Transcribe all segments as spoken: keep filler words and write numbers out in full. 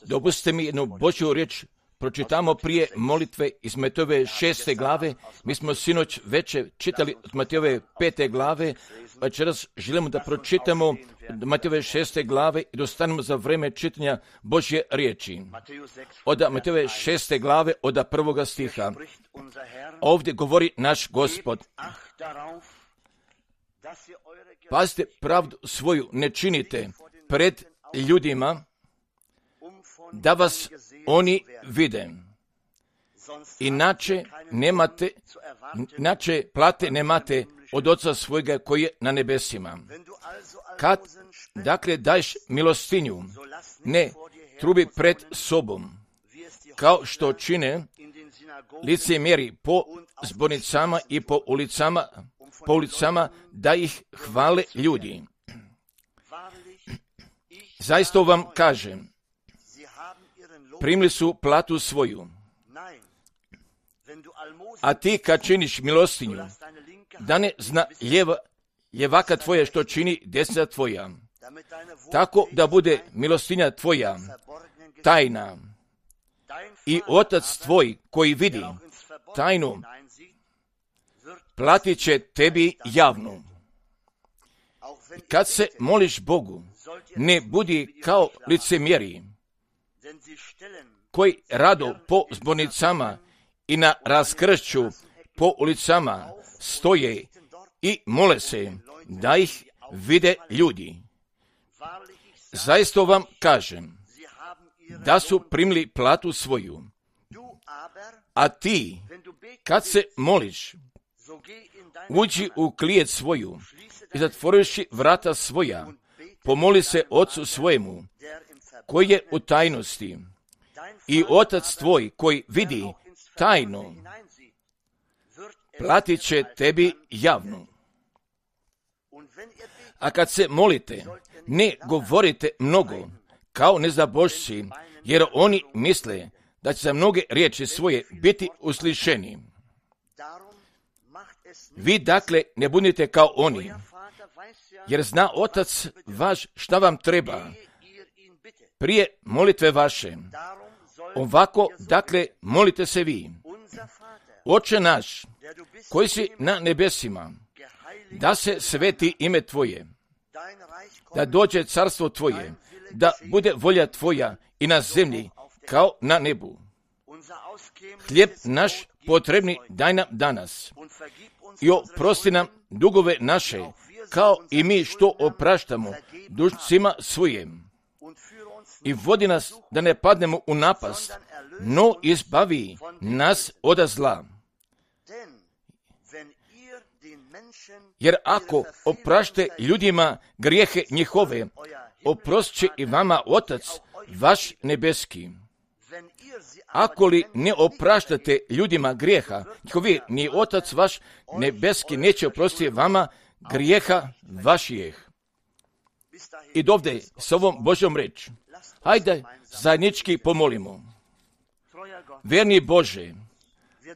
Dopustite mi jednu Božju riječ pročitamo prije molitve iz Matejove šeste glave. Mi smo sinoć večer čitali od Matejove pete glave, večeras želimo da pročitamo Matejove šeste glave i dostanemo za vreme čitanja Božje riječi. Od Matejove šeste glave, od prvoga stiha. Ovdje govori naš Gospod: pazite, pravdu svoju ne činite pred ljudima, da vas oni vide. Inače nemate, inače plate nemate od Oca svojega koji je na nebesima. Kad, dakle, daješ milostinju, ne trubi pred sobom, kao što čine licemjeri po zbornicama i po ulicama, po ulicama da ih hvale ljudi. Zaista vam kažem, primili su platu svoju. A ti kad činiš milostinju, da ne zna ljeva, ljevaka tvoja što čini desna tvoja, tako da bude milostinja tvoja tajna i Otac tvoj koji vidi tajnu platit će tebi javno. Kad se moliš Bogu, ne budi kao licemjeri koji rado po zbornicama i na raskršću po ulicama stoje i mole se da ih vide ljudi. Zaista vam kažem da su primili platu svoju. A ti, kad se moliš, uđi u klijet svoju i zatvoriši vrata svoja, pomoli se Ocu svojemu koji je u tajnosti, i Otac tvoj koji vidi tajno platit će tebi javno. A kad se molite, ne govorite mnogo kao nezabožci, jer oni misle da će za mnoge riječi svoje biti uslišeni. Vi dakle ne budite kao oni, jer zna Otac vaš šta vam treba prije molitve vaše. Ovako, dakle, molite se vi: Oče naš, koji si na nebesima, da se sveti ime Tvoje, da dođe carstvo Tvoje, da bude volja Tvoja i na zemlji kao na nebu. Hlijeb naš potrebni daj nam danas i oprosti nam dugove naše, kao i mi što opraštamo dužnicima svojim. I vodi nas da ne padnemo u napast, no izbavi nas od zla. Jer ako oprašte ljudima grijehe njihove, oprostit će i vama Otac vaš nebeski. Ako li ne opraštate ljudima grijeha njihovi, ni Otac vaš nebeski neće oprostiti vama grijeha vašijeh. I dovde s ovom Božjom reč, hajde zajednički pomolimo. Verni Bože,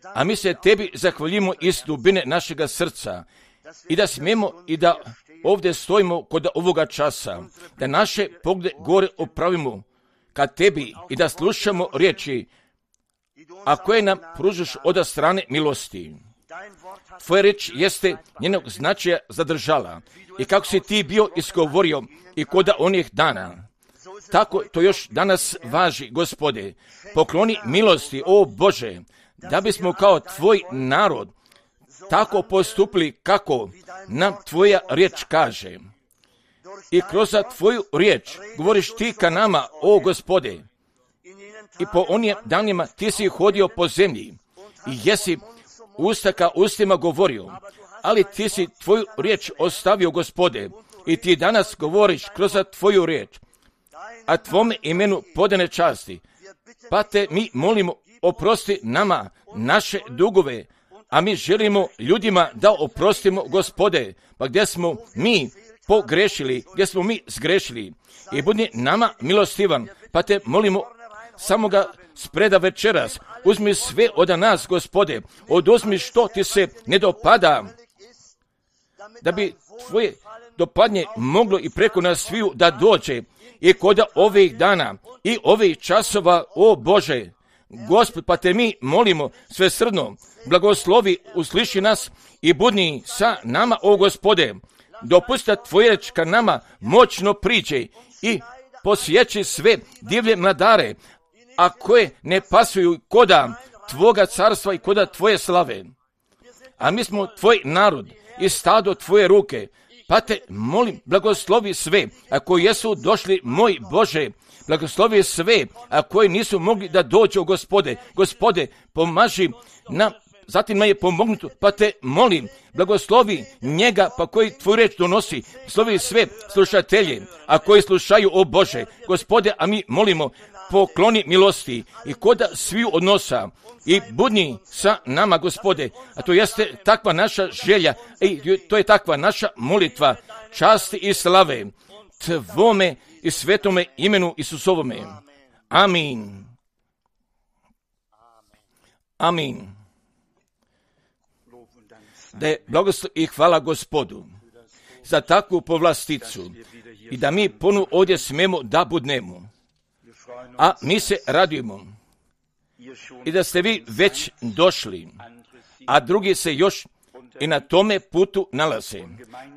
a mi se Tebi zahvaljimo iz dubine našega srca i da smijemo i da ovdje stojimo kod ovoga časa, da naše poglede gore opravimo ka Tebi i da slušamo riječi, a koje nam pružaš od strane milosti. Tvoja reč jeste njenog značaja zadržala i kako si Ti bio izgovorio i kod onih dana, tako to još danas važi, Gospode. Pokloni milosti, o Bože, da bismo kao Tvoj narod tako postupili kako nam Tvoja riječ kaže. I kroz Tvoju riječ govoriš Ti ka nama, o Gospode. I po onim danima Ti si hodio po zemlji i jesi usta ka ustima govorio, ali Ti si Tvoju riječ ostavio, Gospode, i Ti danas govoriš kroz Tvoju riječ, a Tvome imenu podane časti. Pa Te mi molimo, oprosti nama naše dugove, a mi želimo ljudima da oprostimo, Gospode, pa gdje smo mi pogrešili, gdje smo mi zgrešili. I budi nama milostivan, pa Te molimo samo ga spreda večeras. Uzmi sve od nas, Gospode, oduzmi što Ti se ne dopada, da bi Tvoje dopadnje moglo i preko nas sviju da dođe i kod ovih dana i ovih časova, o Bože, Gospod, pa te mi molimo svesrdno, blagoslovi, usliši nas i budni sa nama, o Gospode, dopusti da tvoja riječ ka nama moćno priđe i posjeći sve divlje mladare, a koje ne pasuju koda tvoga carstva i koda tvoje slave. A mi smo tvoj narod i stado tvoje ruke, pa te molim, blagoslovi sve, a koji jesu došli, moj Bože, blagoslovi sve, a koji nisu mogli da dođu, Gospode, Gospode, pomaži nam, zatim nam je pomognuto, pa te molim, blagoslovi njega, pa koji tvoju riječ donosi, slovi sve slušatelje, a koji slušaju, o Bože, Gospode, a mi molimo, pokloni milosti i koda sviju odnosa i budni sa nama, Gospode, a to jeste takva naša želja i to je takva naša molitva, časti i slave tvome i svetome imenu Isusovome. Amin. Amin. Da je blagoslov i hvala Gospodu za takvu povlasticu i da mi ponu ovdje smemo da budnemo. A mi se radujemo i da ste vi već došli, a drugi se još i na tome putu nalaze.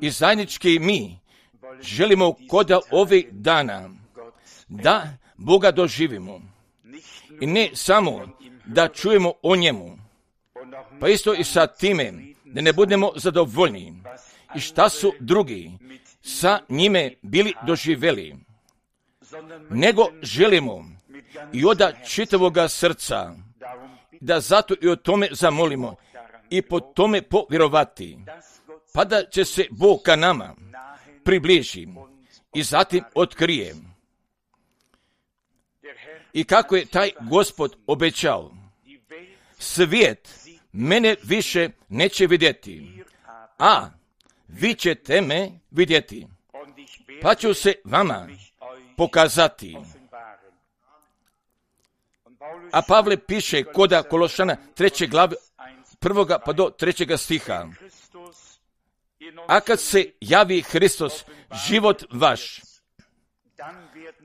I zajednički mi želimo koda ovih dana da Boga doživimo i ne samo da čujemo o njemu, pa isto i sa time da ne budemo zadovoljni i šta su drugi sa njime bili doživjeli, nego želimo i od čitavoga srca da zato i o tome zamolimo i po tome povjerovati, pa da će se Bog ka nama približi i zatim otkrije. I kako je taj Gospod obećao, svijet mene više neće vidjeti, a vi ćete me vidjeti, pa ću se vama pokazati. A Pavle piše koda Kološana treće glave prvoga pa do trećega stiha. A kad se javi Hristos, život vaš,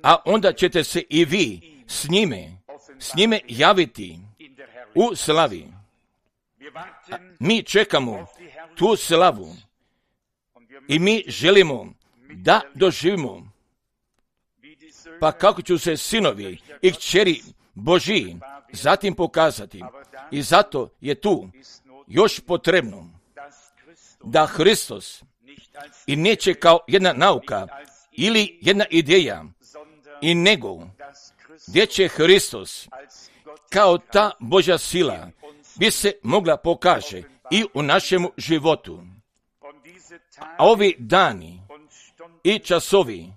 a onda ćete se i vi s njime, s njime javiti u slavi. A mi čekamo tu slavu i mi želimo da doživimo. Pa kako ću se sinovi i kćeri Božiji zatim pokazati. I zato je tu još potrebno da Hristos i neće kao jedna nauka ili jedna ideja, i nego gdje će Hristos kao ta Božja sila bi se mogla pokaže i u našemu životu. A ovi dani i časovi,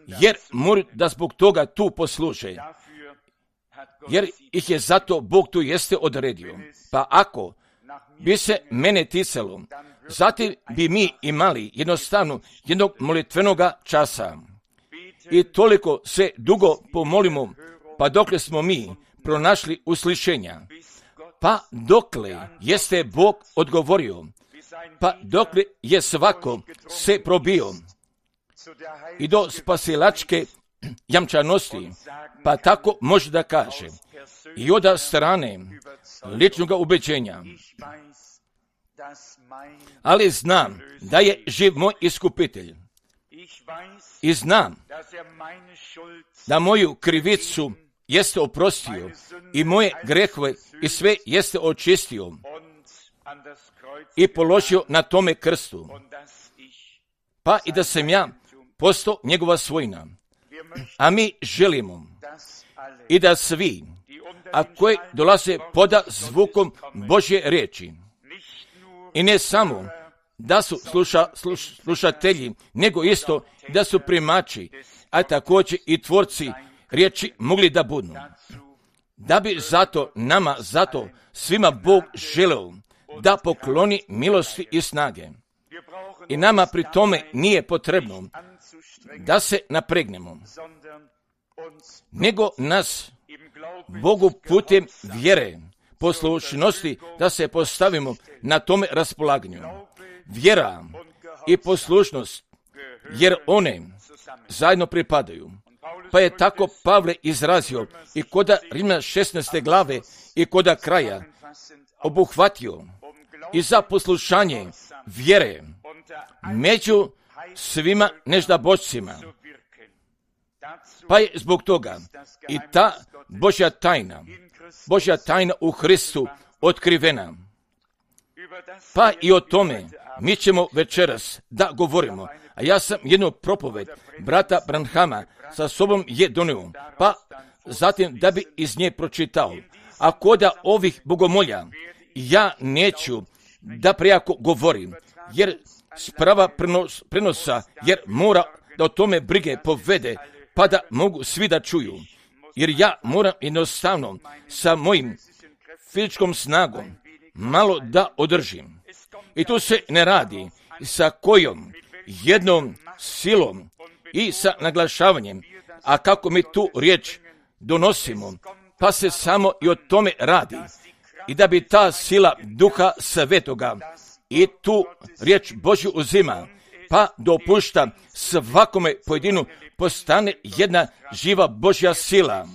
jer moraju da zbog toga tu posluže, jer ih je zato Bog tu jeste odredio. Pa ako bi se mene ticalo, zatim bi mi imali jednostavno jednog molitvenoga časa. I toliko se dugo pomolimo, pa dokle smo mi pronašli uslišenja, pa dokle jeste Bog odgovorio, pa dokle je svako se probio i do spasilačke jamčanosti, pa tako može da kaže i od strane ličnog ubeđenja. Ali znam da je živ moj iskupitelj i znam da moju krivicu jeste oprostio i moje grehove i sve jeste očistio i položio na tome krstu, pa i da sam ja postao njegova svojina. A mi želimo i da svi, a koji dolaze poda zvukom Božje riječi, i ne samo da su sluša, sluš, slušatelji, nego isto da su primači, a također i tvorci riječi mogli da budu. Da bi zato nama, zato svima Bog želeo da pokloni milosti i snage. I nama pri tome nije potrebno da se napregnemo, nego nas Bogu putem vjere, poslušnosti, da se postavimo na tome raspolaganju. Vjera i poslušnost, jer one zajedno pripadaju. Pa je tako Pavle izrazio i koda Rimljana šesnaeste glave i koda kraja obuhvatio i za poslušanje vjere među svima neždabošcima. Pa je zbog toga i ta Božja tajna, Božja tajna u Hristu otkrivena. Pa i o tome mi ćemo večeras da govorimo. A ja sam jednu propoved brata Branhama sa sobom je donio, pa zatim da bi iz nje pročitao. A koda ovih bogomolja ja neću da prejako govorim, jer sprava prenos, prenosa, jer mora da o tome brige povede, pa da mogu svi da čuju. Jer ja moram jednostavno sa mojim fizičkom snagom malo da održim. I tu se ne radi sa kojom jednom silom i sa naglašavanjem, a kako mi tu riječ donosimo, pa se samo i o tome radi. I da bi ta sila Duha Svetoga i tu riječ Božju uzima, pa dopušta svakome pojedinu postane jedna živa Božja sila.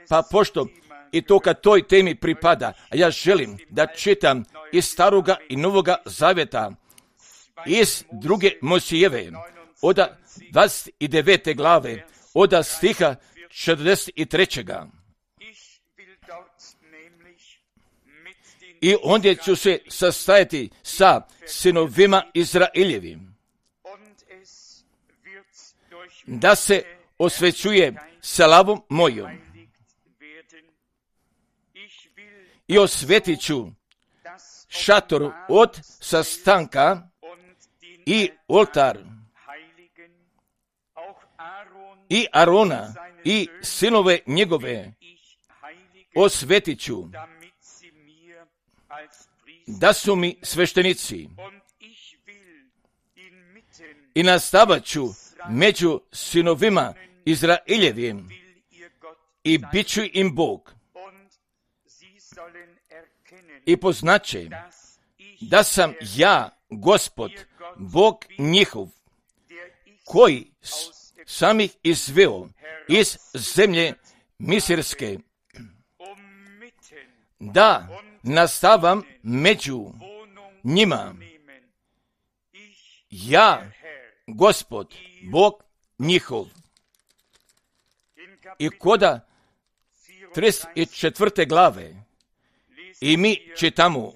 Pa pošto i to kad toj temi pripada, a ja želim da čitam iz Staroga i Novoga Zavjeta, iz druge Mojsijeve, od dvadeset devete glave, od stiha četrdeset trećeg. I ondje ću se sastajati sa sinovima Izraeljevim, da se osvećuje slavom mojom. I osvetit ću šator od sastanka i oltar i Arona i sinove njegove osvetit ću, da su mi sveštenici. I nastavat ću među sinovima Izraeljevim i bit ću im Bog. I poznaće da sam ja, Gospod, Bog njihov, koji sam ih izveo iz zemlje Misirske, da nastavam među njima. Ja, Gospod, Bog njihov. I koda trideset četvrte glave i mi čitamo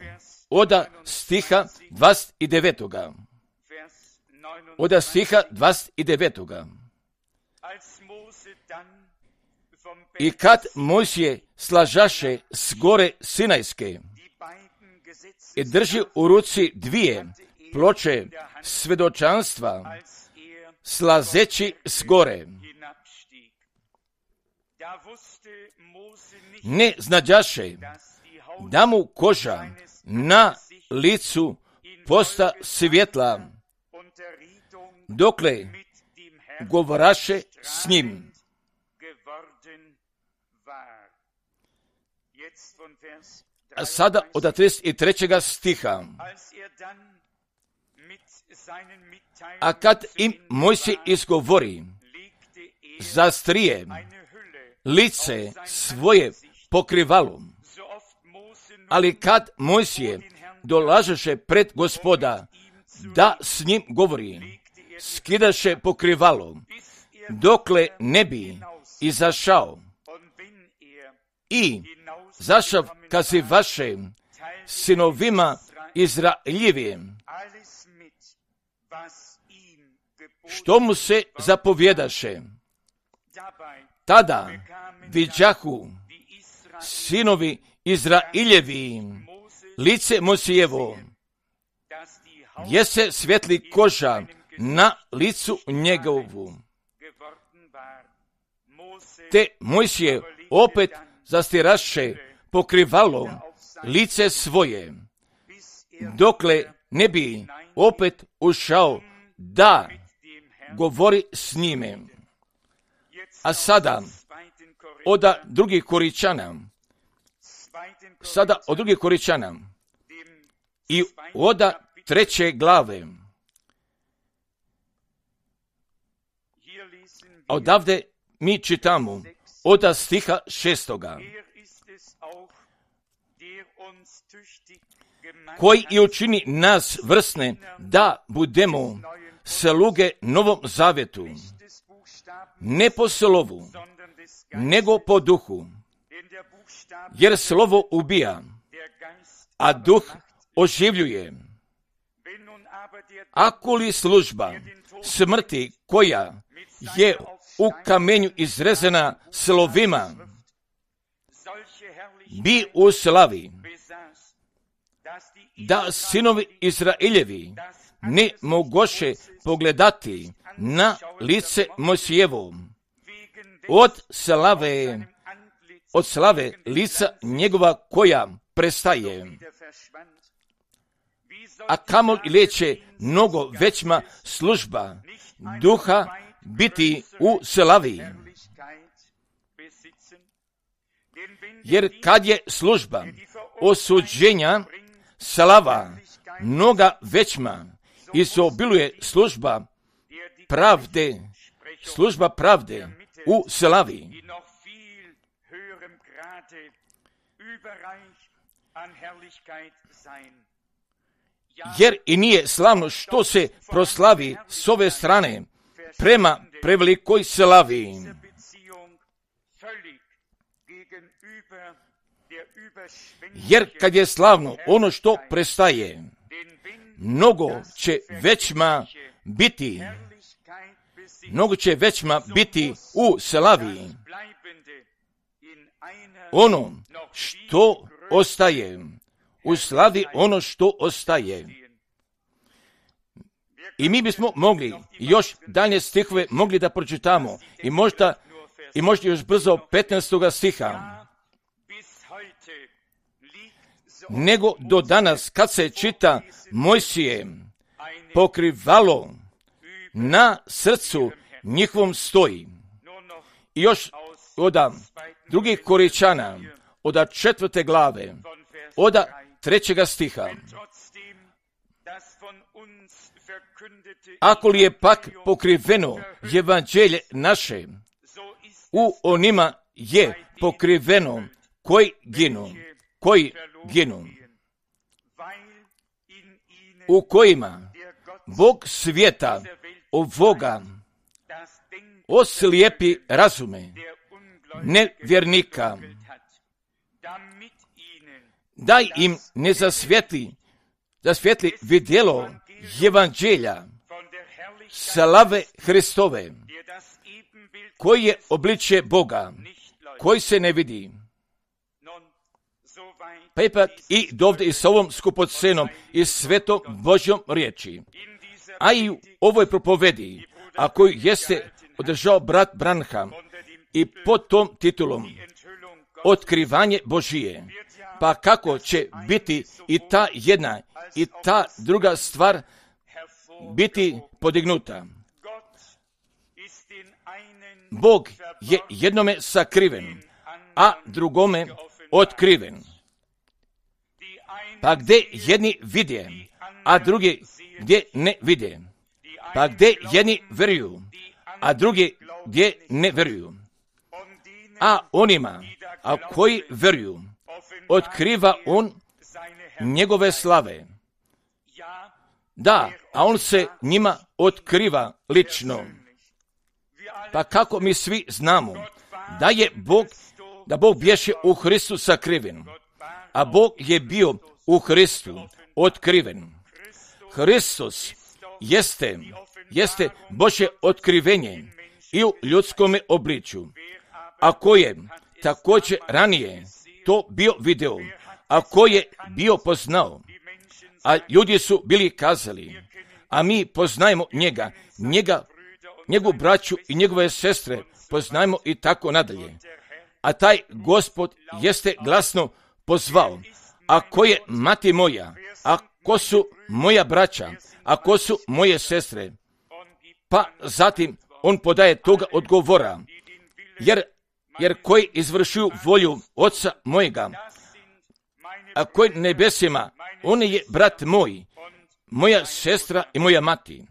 od stiha dvadeset devetog. Od stiha dvadeset devetog. I kad Mojsije slažaše s gore Sinajske i drži u ruci dvije ploče svedočanstva, slazeći s gore, ne znađaše da mu koža na licu posta svjetla, dokle govoraše s njim. A sada od trideset trećeg stiha. A kad im Mojsije izgovori, zastrije lice svoje pokrivalom. Ali kad Mojsije dolažeše pred Gospoda da s njim govori, skidaše pokrivalo, dokle ne bi izašao i zašav kazivaše sinovima Izraeljevim, što mu se zapovjedaše. Tada viđahu sinovi Izraeljevi lice Mojsijevo, gdje se svetli koža na licu njegovu. Te Mojsije opet zastiraše pokrivalo lice svoje, dokle ne bi opet ušao da govori s njime. A sada od drugih Koričana, sada od drugih Koričana i od treće glave, odavde mi čitamo od stiha šestoga. Koji i učini nas vrsne da budemo sluge novom zavjetu, ne po slovu, nego po duhu, jer slovo ubija, a duh oživljuje. Ako li služba smrti koja je u kamenju izrezana slovima, bi u slavi, da sinovi Izraeljevi ne mogoše pogledati na lice Mojsijevo od slave, od slave lica njegova koja prestaje. A kamo li leće mnogo većma služba duha biti u slavi. Jer kad je služba osuđenja slava mnoga većma i se obiluje služba pravde, služba pravde u slavi. Jer i nije slavno što se proslavi s ove strane prema prevelikoj slavi. Jer kad je slavno ono što prestaje, mnogo će većma biti, mnogo će većma biti u slavi. Ono što ostaje, u slavi ono što ostaje. I mi bismo mogli još dalje stihove mogli da pročitamo i možda, i možda još brzo petnaestoga stiha. Nego do danas kad se čita Mojsije pokrivalo na srcu njihovom stoji. I još od drugih Koričana, od četvrte glave, od trećega stiha. Ako li je pak pokriveno evanđelje naše, u onima je pokriveno koji ginu, koji ginu, u kojima Bog svijeta ovoga oslijepi razume nevjernika, daj im ne zasvjetli, zasvjetli vidjelo evanđelja slave Hristove, koji je obličje Boga, koji se ne vidi. Pa ipak i dovde i s ovom skupocenom i svetom Božjom riječi, a i u ovoj propovedi, a koju jeste održao brat Branham i pod tom titulom Otkrivanje Božije, pa kako će biti i ta jedna i ta druga stvar biti podignuta. Bog je jednome sakriven, a drugome otkriven. Pa gdje jedni vidje, a drugi gdje ne vidje. Pa gdje jedni vjeruju, a drugi gdje ne vjeruju. A onima, a koji vjeruju, otkriva on njegove slave. Da, a on se njima otkriva lično. Pa kako mi svi znamo da je Bog, da Bog bješe u Hristu sakriven, a Bog je bio u Hristu otkriven. Hristos jeste, jeste Božje otkrivenje i u ljudskome obličju, a ko je također ranije to bio video, a ko je bio poznao, a ljudi su bili kazali, a mi poznajemo njega, njega, njegovu braću i njegove sestre poznajemo i tako nadalje. A taj Gospod jeste glasno pozvao, a ko je mati moja, a ko su moja braća, a ko su moje sestre, pa zatim on podaje toga odgovora, jer, jer koji izvršuju volju Oca mojega, a koji nebesima, on je brat moj, moja sestra i moja mati.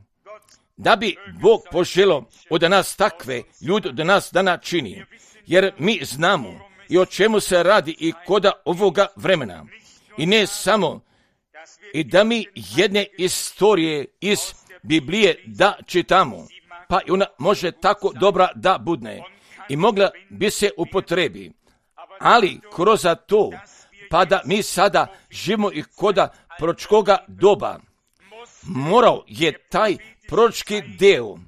da bi Bog poželio od nas takve ljude da nas dana čini, jer mi znamo i o čemu se radi i koda ovoga vremena. I ne samo i da mi jedne istorije iz Biblije da čitamo, pa i ona može tako dobra da budne i mogla bi se upotrebi, ali kroz to, pa da mi sada živimo i koda proročkoga doba, morao je taj proročki deo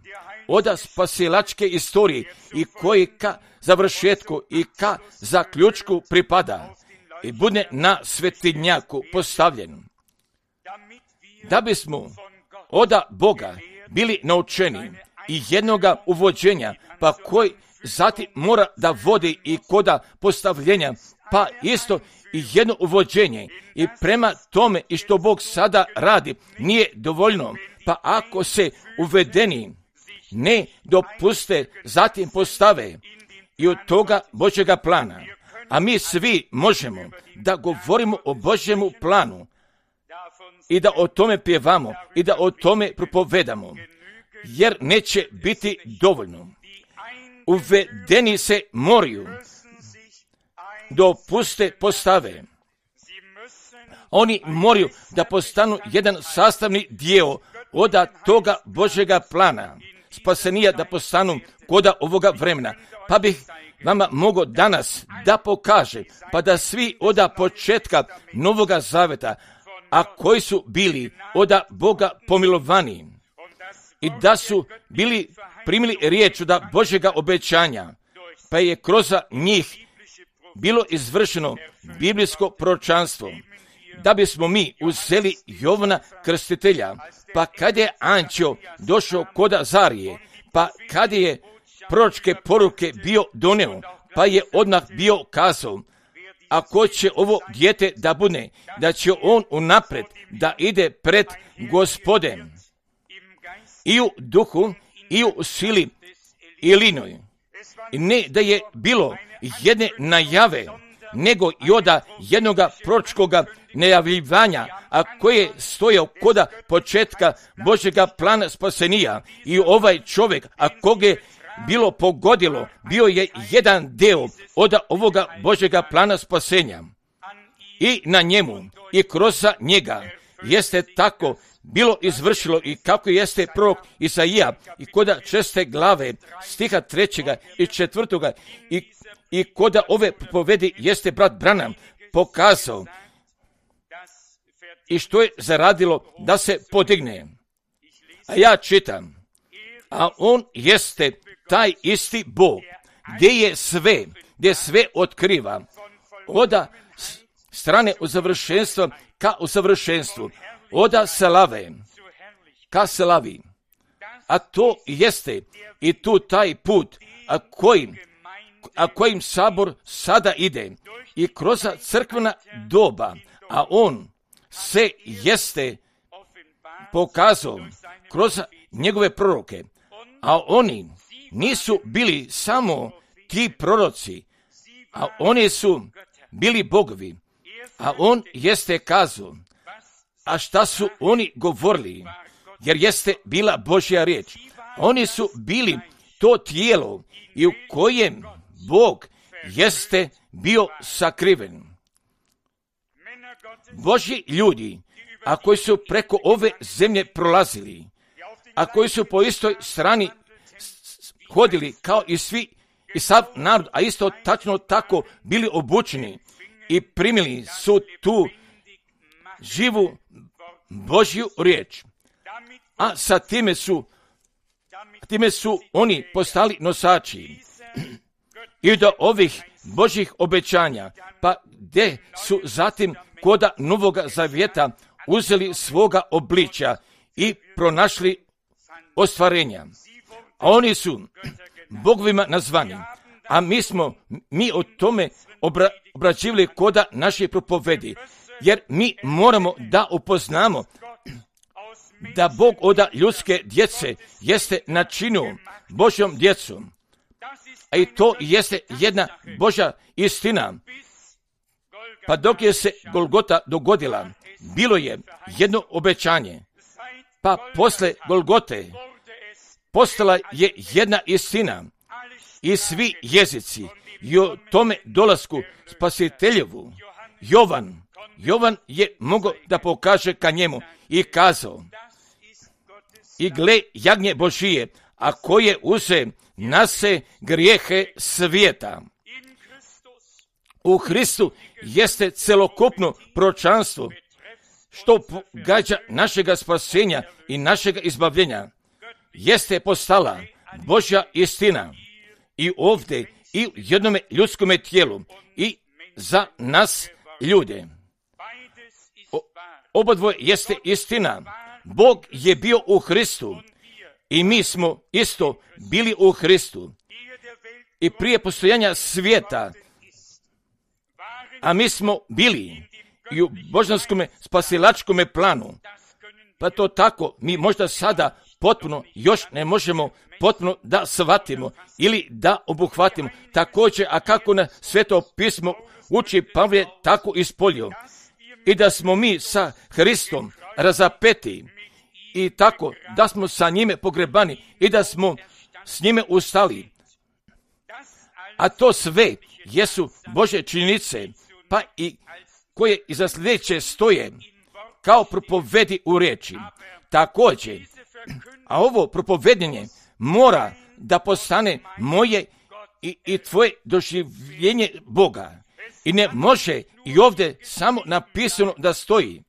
od spasilačke istorije i koji ka završetku i ka zaključku pripada i bude na svetinjaku postavljen, da bismo od Boga bili naučeni i jednoga uvođenja, pa koji zatim mora da vodi i koda postavljenja, pa isto i jedno uvođenje i prema tome i što Bog sada radi nije dovoljno, pa ako se uvedeni ne dopuste, zatim postave i od toga Božjega plana, a mi svi možemo da govorimo o Božjemu planu i da o tome pjevamo i da o tome propovedamo, jer neće biti dovoljno. Uvedeni se moraju dopuste postave. Oni moraju da postanu jedan sastavni dio od toga Božjega plana spasenija, da postanu koda ovoga vremena. Pa bih vama mogao danas da pokaže, pa da svi od početka Novoga Zaveta, a koji su bili od Boga pomilovani i da su bili primili riječ od Božjega obećanja, pa je kroz njih bilo izvršeno biblijsko proročanstvo, da bismo mi uzeli Jovana Krstitelja, pa kad je anđeo došao kod Azarije, pa kad je proročke poruke bio doneo, pa je odmah bio kazao, ako će ovo dijete da bude, da će on unapred da ide pred Gospodem i u duhu i u sili i linoj. I ne da je bilo jedne najave, nego i od jednoga proročkoga najavljivanja, a koje je stojao koda početka Božjega plana spasenija. I ovaj čovjek, a koga je bilo pogodilo, bio je jedan deo od ovoga Božjega plana spasenja. I na njemu i kroz njega jeste tako bilo izvršilo i kako jeste prorok Isaija i koda šeste glave stiha trećega i četvrtoga i, i koda ove povedi jeste brat Branham pokazao i što je zaradilo da se podigne. A ja čitam, a on jeste taj isti Bog, gdje je sve, gdje sve otkriva, od strane usavršenstva ka usavršenstvu, od slave ka slavi. A to jeste i tu taj put, a kojim, a kojim sabor sada ide i kroz crkvena doba, a on se jeste pokazao kroz njegove proroke, a oni nisu bili samo ti proroci, a oni su bili bogovi, a on jeste kazao, a šta su oni govorili, jer jeste bila Božja riječ. Oni su bili to tijelo i u kojem Bog jeste bio sakriven. Božji ljudi, a koji su preko ove zemlje prolazili, a koji su po istoj strani hodili kao i svi i sav narod, a isto tačno tako bili obučeni i primili su tu živu Božju riječ. A sa time su, time su oni postali nosači i do ovih Božjih obećanja, pa gdje su zatim koda Novoga Zavjeta uzeli svoga obličja i pronašli ostvarenja. A oni su bogovima nazvani, a mi smo, mi o tome obra, obrađivali koda naše propovedi, jer mi moramo da upoznamo da Bog od ljudske djece jeste načinio Božjom djecom, a i to jeste jedna Božja istina. Pa dok je se Golgota dogodila, bilo je jedno obećanje, pa posle Golgote postala je jedna istina i svi jezici i o tome dolasku Spasiteljevu. Jovan, Jovan je mogao da pokaže ka njemu i kazao: i gle jagnje Božije, a koje uze nase grijehe svijeta. U Hristu jeste celokupno proročanstvo što pogađa našega spasenja i našega izbavljenja. Jeste postala Božja istina i ovdje i u jednome ljudskome tijelu i za nas ljude. O, obodvoje jeste istina. Bog je bio u Hristu i mi smo isto bili u Hristu. I prije postojanja svijeta, a mi smo bili i u božanskom spasilačkom planu. Pa to tako, mi možda sada potpuno još ne možemo potpuno da shvatimo ili da obuhvatimo. Također, a kako na Sveto pismo uči Pavle tako ispolio. I da smo mi sa Hristom razapeti i tako da smo sa njime pogrebani i da smo s njime ustali. A to sve jesu Božje činjenice, pa i koje iza sljedeće stoje kao propovedi u riječi. Također, a ovo propovedanje mora da postane moje i, i tvoje doživljenje Boga. I ne može i ovdje samo napisano da stoji,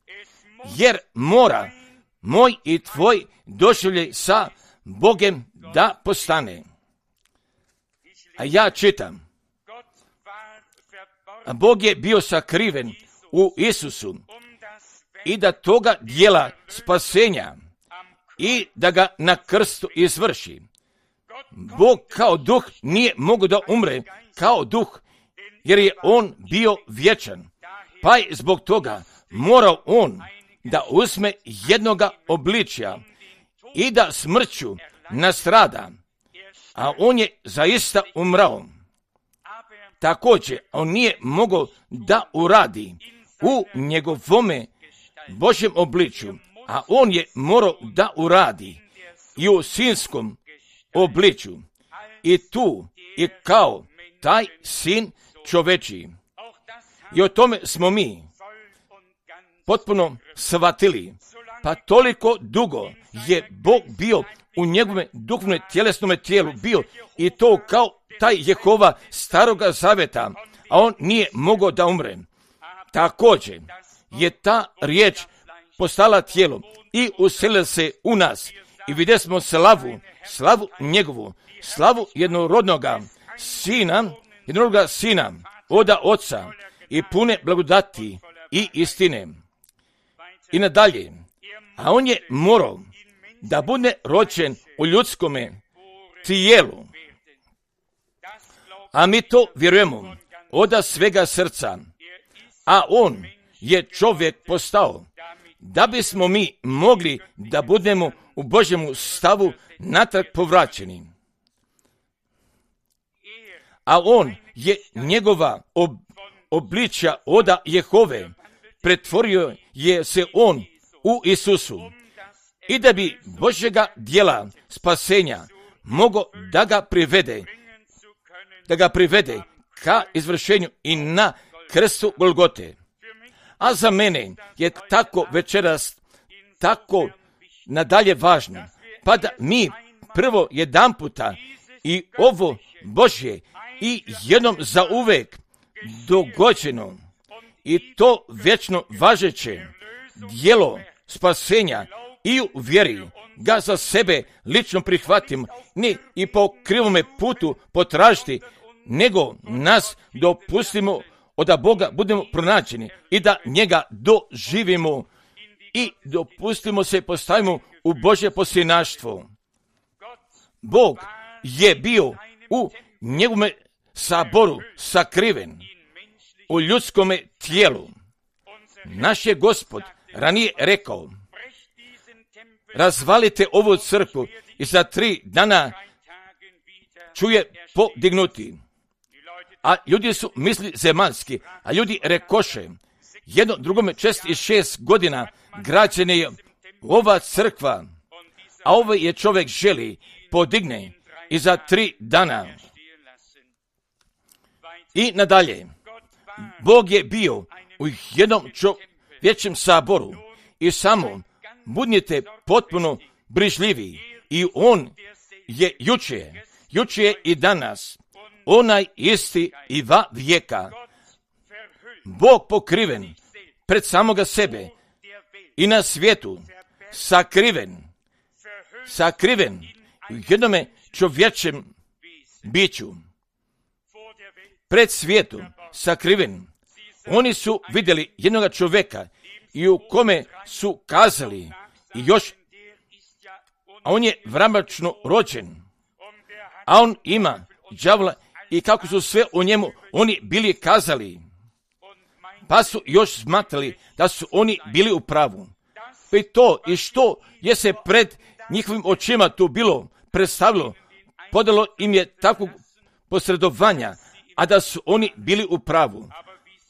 jer mora moj i tvoj doživljaj sa Bogem da postane. A ja čitam, a Bog je bio sakriven u Isusu i da toga dijela spasenja i da ga na krstu izvrši. Bog kao duh nije mogao da umre kao duh, jer je on bio vječan. Pa je zbog toga morao on da uzme jednoga obličja i da smrću nastrada, a on je zaista umrao. Također, on nije mogao da uradi u njegovome Božjem obličju, a on je morao da uradi i u sinskom obličju. I tu i kao taj sin čovečiji. I o tome smo mi potpuno shvatili. Pa toliko dugo je Bog bio u njegovome duhovnom tjelesnom tijelu bio i to kao taj Jehova staroga zaveta, a on nije mogao da umre. Također je ta riječ postala tijelo i uselila se u nas i vidjeli smo slavu, slavu njegovu, slavu jednorodnoga sina, jednorodnoga sina, oda oca i pune blagodati i istine. I nadalje, a on je morao da bude rođen u ljudskome tijelu. A mi to vjerujemo od svega srca. A on je čovjek postao da bismo mi mogli da budemo u Božjemu stavu natrag povraćeni. A on je njegova ob, obličja oda Jehove, pretvorio je se on u Isusu. I da bi Božjega djela spasenja mogo da ga privede, da ga privede ka izvršenju i na krstu Golgote. A za mene je tako večeras, tako nadalje važno, pa da mi prvo jedan puta i ovo Božje i jednom za uvek dogođeno i to vječno važeće djelo spasenja i u vjeri ga za sebe lično prihvatimo, ni i po krivome putu potražiti, nego nas dopustimo od Boga budemo pronađeni i da njega doživimo i dopustimo se postavimo u Božje posljednaštvo. Bog je bio u njegovome saboru sakriven u ljudskome tijelu. Naš je Gospod ranije rekao: razvalite ovu crkvu i za tri dana čuje podignuti. A ljudi su misli zemaljski, a ljudi rekoše, jedno drugome čest i šest godina građena je ova crkva, a ovaj je čovjek želi podigne i za tri dana. I nadalje, Bog je bio u jednom čovječjem saboru i samo budnite potpuno brižljivi i on je juče, juče i danas, onaj isti i va vijeka. Bog pokriven pred samoga sebe i na svijetu, sakriven, sakriven u jednome čovječem biću. Pred svijetu, sakriven. Oni su vidjeli jednoga čovjeka i u kome su kazali i još, a on je vramačno rođen, a on ima đavola i kako su sve o njemu oni bili kazali, pa su još smatrali da su oni bili u pravu. Pa i to i što je se pred njihovim očima tu bilo predstavilo, podalo im je takvog posredovanja, a da su oni bili u pravu.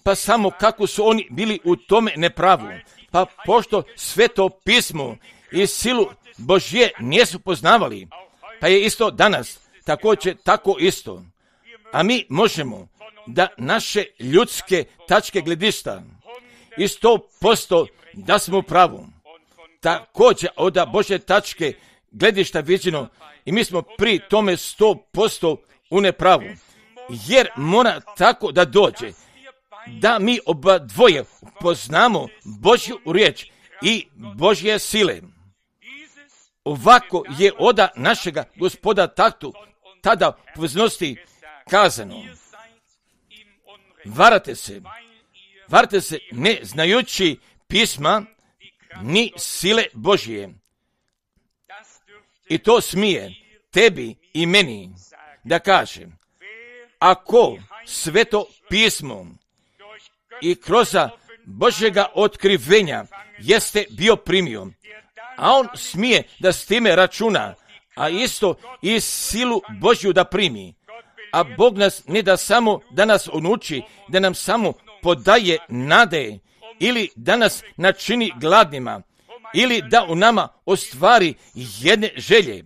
Pa samo kako su oni bili u tome nepravu, pa pošto sveto pismo i silu Božje nisu poznavali, pa je isto danas također tako isto. A mi možemo da naše ljudske tačke gledišta i sto posto da smo u pravu. Također od Božje tačke gledišta viđeno i mi smo pri tome sto posto u nepravu. Jer mora tako da dođe da mi oba dvoje poznamo Božju riječ i Božje sile. Ovako je oda našega Gospoda taktu tada poznosti kazano. Varate se, varate se ne znajući pisma ni sile Božje. I to smije tebi i meni da kažem. Ako sveto pismo i kroz Božjega otkrivenja jeste bio primio, a on smije da s time računa, a isto i silu Božju da primi. A Bog nas ne da samo da nas onuči, da nam samo podaje nade, ili da nas načini gladnima, ili da u nama ostvari jedne želje.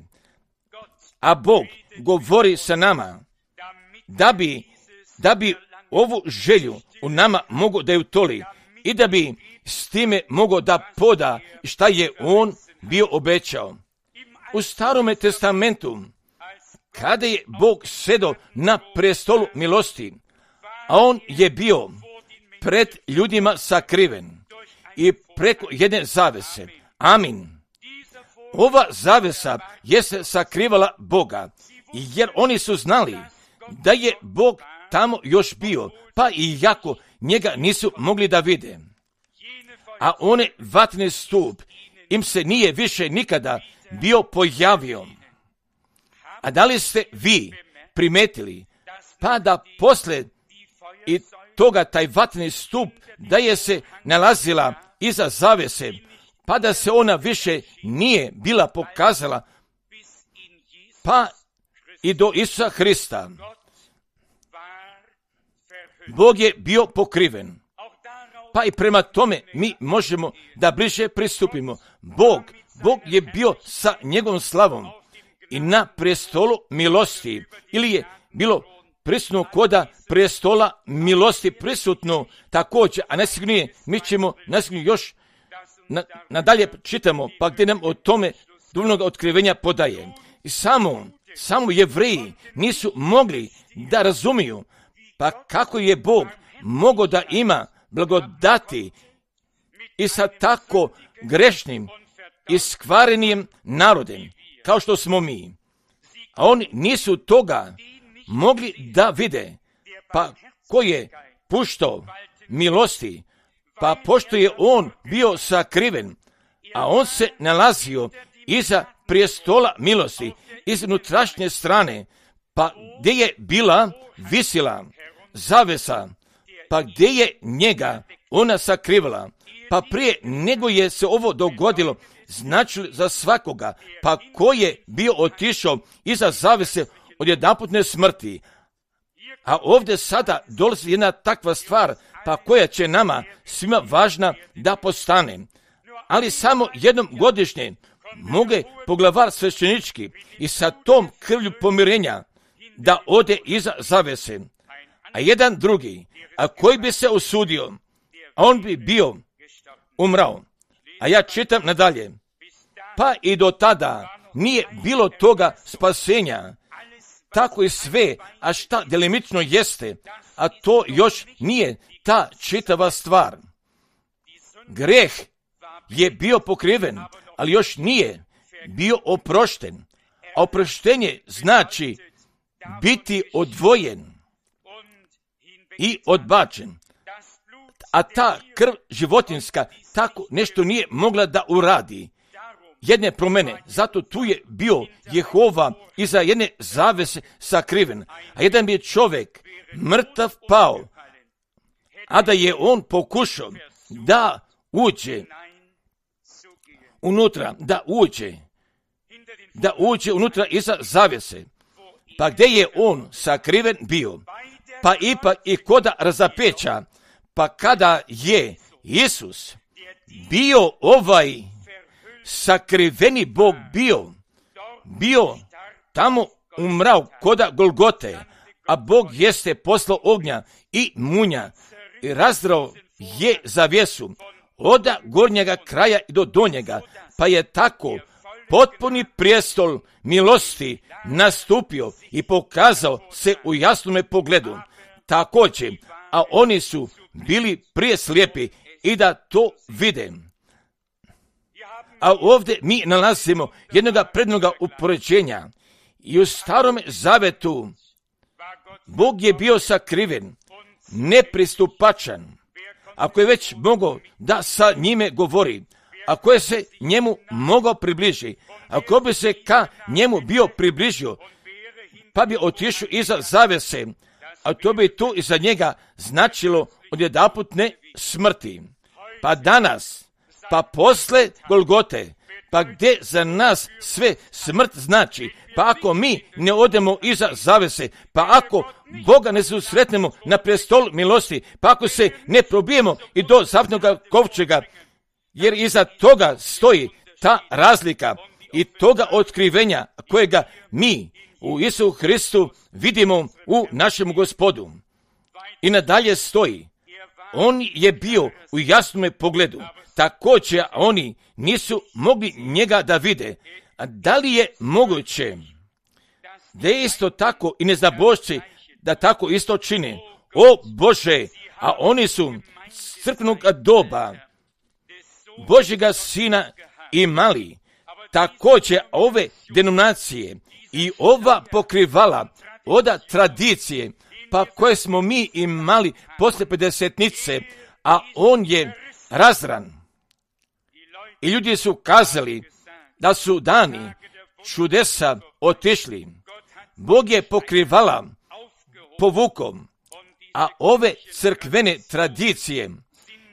A Bog govori sa nama, da bi, da bi ovu želju u nama mogo da ju toli i da bi s time mogo da poda šta je on bio obećao. U Starome testamentu, kada je Bog sedo na prestolu milosti, a on je bio pred ljudima sakriven i preko jedne zavese. Amin. Ova zavesa je se sakrivala Boga, jer oni su znali da je Bog tamo još bio, pa i jako njega nisu mogli da vide. A one vatni stup im se nije više nikada bio pojavio. A da li ste vi primetili, pa da posle i toga taj vatni stup da je se nalazila iza zavese, pa da se ona više nije bila pokazala, pa i do Isusa Hrista. Bog je bio pokriven, pa i prema tome mi možemo da bliže pristupimo. Bog, Bog je bio sa njegovom slavom i na prestolu milosti, ili je bilo prisutno koda prestola milosti prisutno također, a najsigurnije mi ćemo najsigurnije još na, nadalje čitamo, pa gdje nam o tome duhovnog otkrivenja podaje. I samo, samo Jevreji nisu mogli da razumiju, pa kako je Bog mogao da ima blagodati i sa tako grešnim i skvarenim narodem, kao što smo mi. A oni nisu toga mogli da vide, pa ko je puštao milosti, pa pošto je on bio sakriven, a on se nalazio iza prijestola milosti, iz unutrašnje strane, pa gdje je bila visila zavesa, pa gdje je njega ona sakrivala, pa prije nego je se ovo dogodilo, znači za svakoga, pa ko je bio otišao iza zavese od jedanputne smrti. A ovdje sada dolazi jedna takva stvar, pa koja će nama svima važna da postane. ali samo jednom godišnje moge poglavar sveštenički i sa tom krvlju pomirenja da ode iza zavese, a jedan drugi, a koji bi se usudio, a on bi bio umrao. A ja čitam nadalje, pa i do tada nije bilo toga spasenja, tako i sve, a šta delimično jeste, a to još nije ta čitava stvar. Greh je bio pokriven, ali još nije bio oprošten. A oproštenje znači biti odvojen i odbačen. A ta krv životinska tako nešto nije mogla da uradi. Jedne promene, zato tu je bio Jehova iza jedne zavese sakriven, a jedan bi čovjek mrtav pao, a da je on pokušao da uđe unutra, da uđe, da uđe unutra iza zavese, pa gdje je on sakriven bio, pa ipak i koda razapeća, pa kada je Isus bio ovaj sakriveni Bog bio, bio tamo umrao koda Golgote, a Bog jeste poslao ognja i munja i razdrao je zavjesu od gornjega kraja do donjega, pa je tako potpuni prijestol milosti nastupio i pokazao se u jasnome pogledu. Također, a oni su bili prije slijepi i da to vide. A ovdje mi nalazimo jednoga prednoga upoređenja. I u Starom Zavetu Bog je bio sakriven, nepristupačan. Ako je već mogao da sa njime govori, ako je se njemu mogao približiti, ako bi se ka njemu bio približio, pa bi otišao iza zavese, a to bi tu iza njega značilo odjedanputne smrti. Pa danas, pa posle Golgote, pa gdje za nas sve smrt znači, pa ako mi ne odemo iza zavese, pa ako Boga ne susretnemo na prestol milosti, pa ako se ne probijemo i do zavetnog kovčega, jer iza toga stoji ta razlika i toga otkrivenja kojega mi u Isusu Hristu vidimo u našem Gospodu. I nadalje stoji, on je bio u jasnome pogledu, također oni nisu mogli njega da vide. A da li je moguće da je isto tako i neznabošci da tako isto čine? O Bože, a oni su s crkvenog doba Božjega Sina imali. Također ove denominacije i ova pokrivala od tradicije, pa koje smo mi imali posle pedesetnice, a on je razran. I ljudi su kazali da su dani čudesa otišli. Bog je pokrivala povukom, a ove crkvene tradicije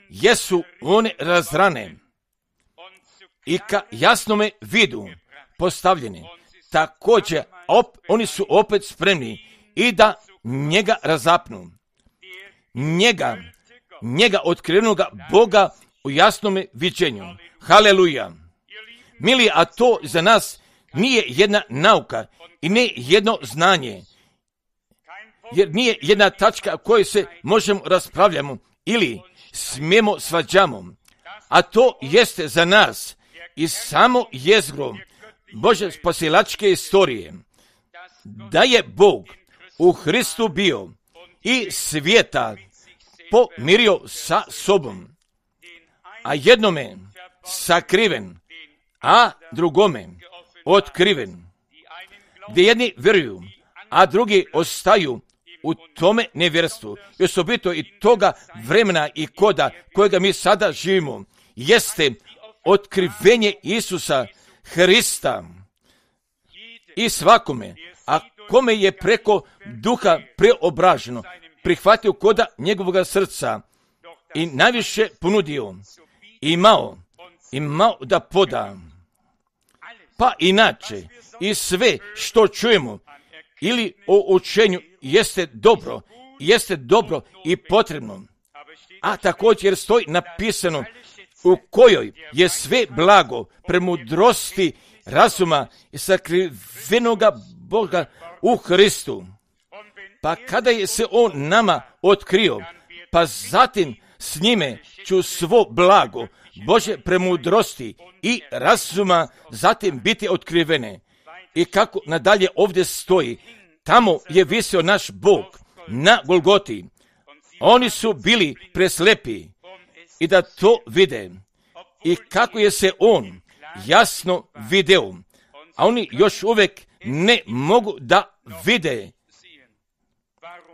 jesu one razrane i ka jasnome vidu postavljene. Također op, oni su opet spremni i da njega razapnu. Njega, njega otkrivenoga Boga u jasnome viđenju. Haleluja. Mili, a to za nas nije jedna nauka i ne jedno znanje, jer nije jedna tačka koju se možemo raspravljamo ili smijemo svađamo, a to jeste za nas i samo jezgro Bože spasilačke istorije, da je Bog u Hristu bio i svijeta pomirio sa sobom, a jednome sakriven, a drugome otkriven, gdje jedni vjeruju, a drugi ostaju u tome nevjerstvu. I osobito i toga vremena i koda kojega mi sada živimo, jeste otkrivenje Isusa Hrista i svakome, a kome je preko duha preobraženo, prihvatio koda njegovoga srca i najviše ponudio, imao, imao da poda. Pa inače, i sve što čujemo ili o učenju jeste dobro, jeste dobro i potrebno. A također stoji napisano u kojoj je sve blago, premudrosti, razuma i sakrivenoga Boga u Hristu. Pa kada je se on nama otkrio, pa zatim s njime ću svo blago Bože premudrosti i razuma zatim biti otkrivene. I kako nadalje ovdje stoji, tamo je visio naš Bog na Golgoti. Oni su bili preslepi i da to vide. I kako je se on jasno video, a oni još uvijek ne mogu da vide.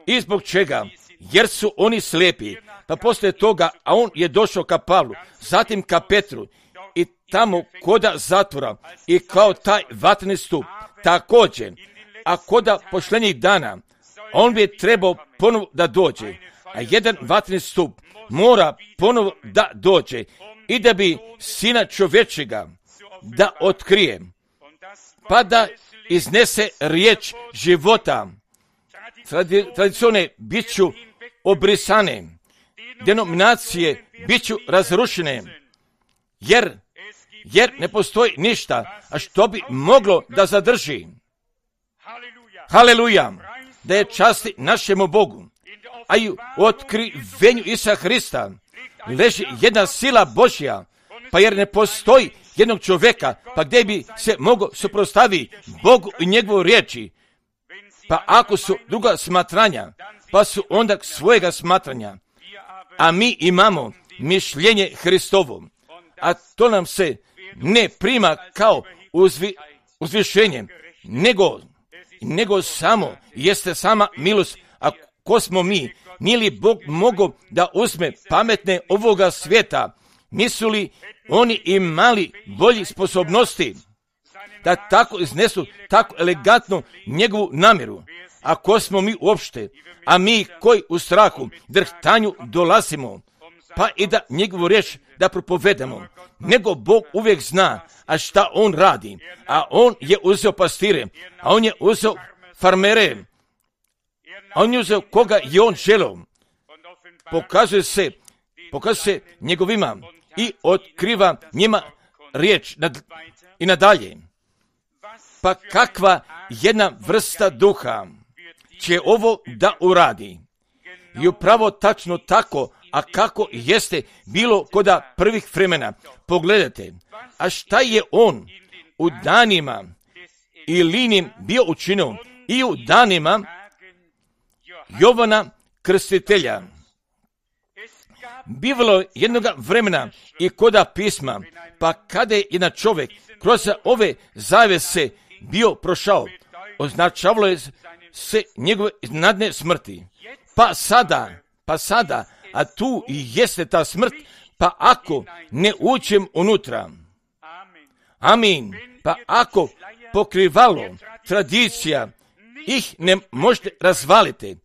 I zbog čega? Jer su oni slijepi. Pa poslije toga, a on je došao ka Pavlu, zatim ka Petru i tamo koda zatvora i kao taj vatreni stup. Također, a koda pošljenjih dana, on bi trebao ponovo da dođe, a jedan vatreni stup mora ponovo da dođe i da bi Sina čovječega da otkrije, pa da iznese riječ života. Tradicione bit ću obrisane, denominacije bit ću razrušene, jer, jer ne postoji ništa, a što bi moglo da zadrži. Haleluja, da je časti našemu Bogu, a i u otkrivenju Isusa Hrista leži jedna sila Božja, pa jer ne postoji jednog čovjeka, pa gdje bi se mogao suprotstaviti Bogu i njegovu riječi. Pa ako su druga smatranja, pa su onda svojega smatranja, a mi imamo mišljenje Hristovo, a to nam se ne prima kao uzvi, uzvišenje, nego, nego samo jeste sama milost. A ko smo mi? Nije li Bog mogao da uzme pametne ovoga svijeta? Nisu li oni imali bolji sposobnosti da tako iznesu tako elegantno njegovu namjeru? A ko smo mi uopšte? A mi koji u strahu, drhtanju dolazimo, pa i da njegovu riječ da propovedamo. Nego Bog uvijek zna, a šta on radi. A on je uzeo pastire, a on je uzeo farmere, a on je uzeo koga je on želeo. Pokazuje se, pokazuje se njegovima i otkriva njima riječ nad, i nadalje. Pa kakva jedna vrsta duha će ovo da uradi? I upravo tačno tako, a kako jeste bilo koda prvih vremena. Pogledajte, a šta je on u danima Ilinim bio učinio i u danima Jovana Krstitelja. Bivalo jednoga vremena i koda pisma, pa kada je jedan čovjek kroz ove zavese bio prošao, označavalo je se njegove iznenadne smrti. Pa sada, pa sada, a tu i jeste ta smrt, pa ako ne uđem unutra, amin, pa ako pokrivalo, tradicija, ih ne možete razvaliti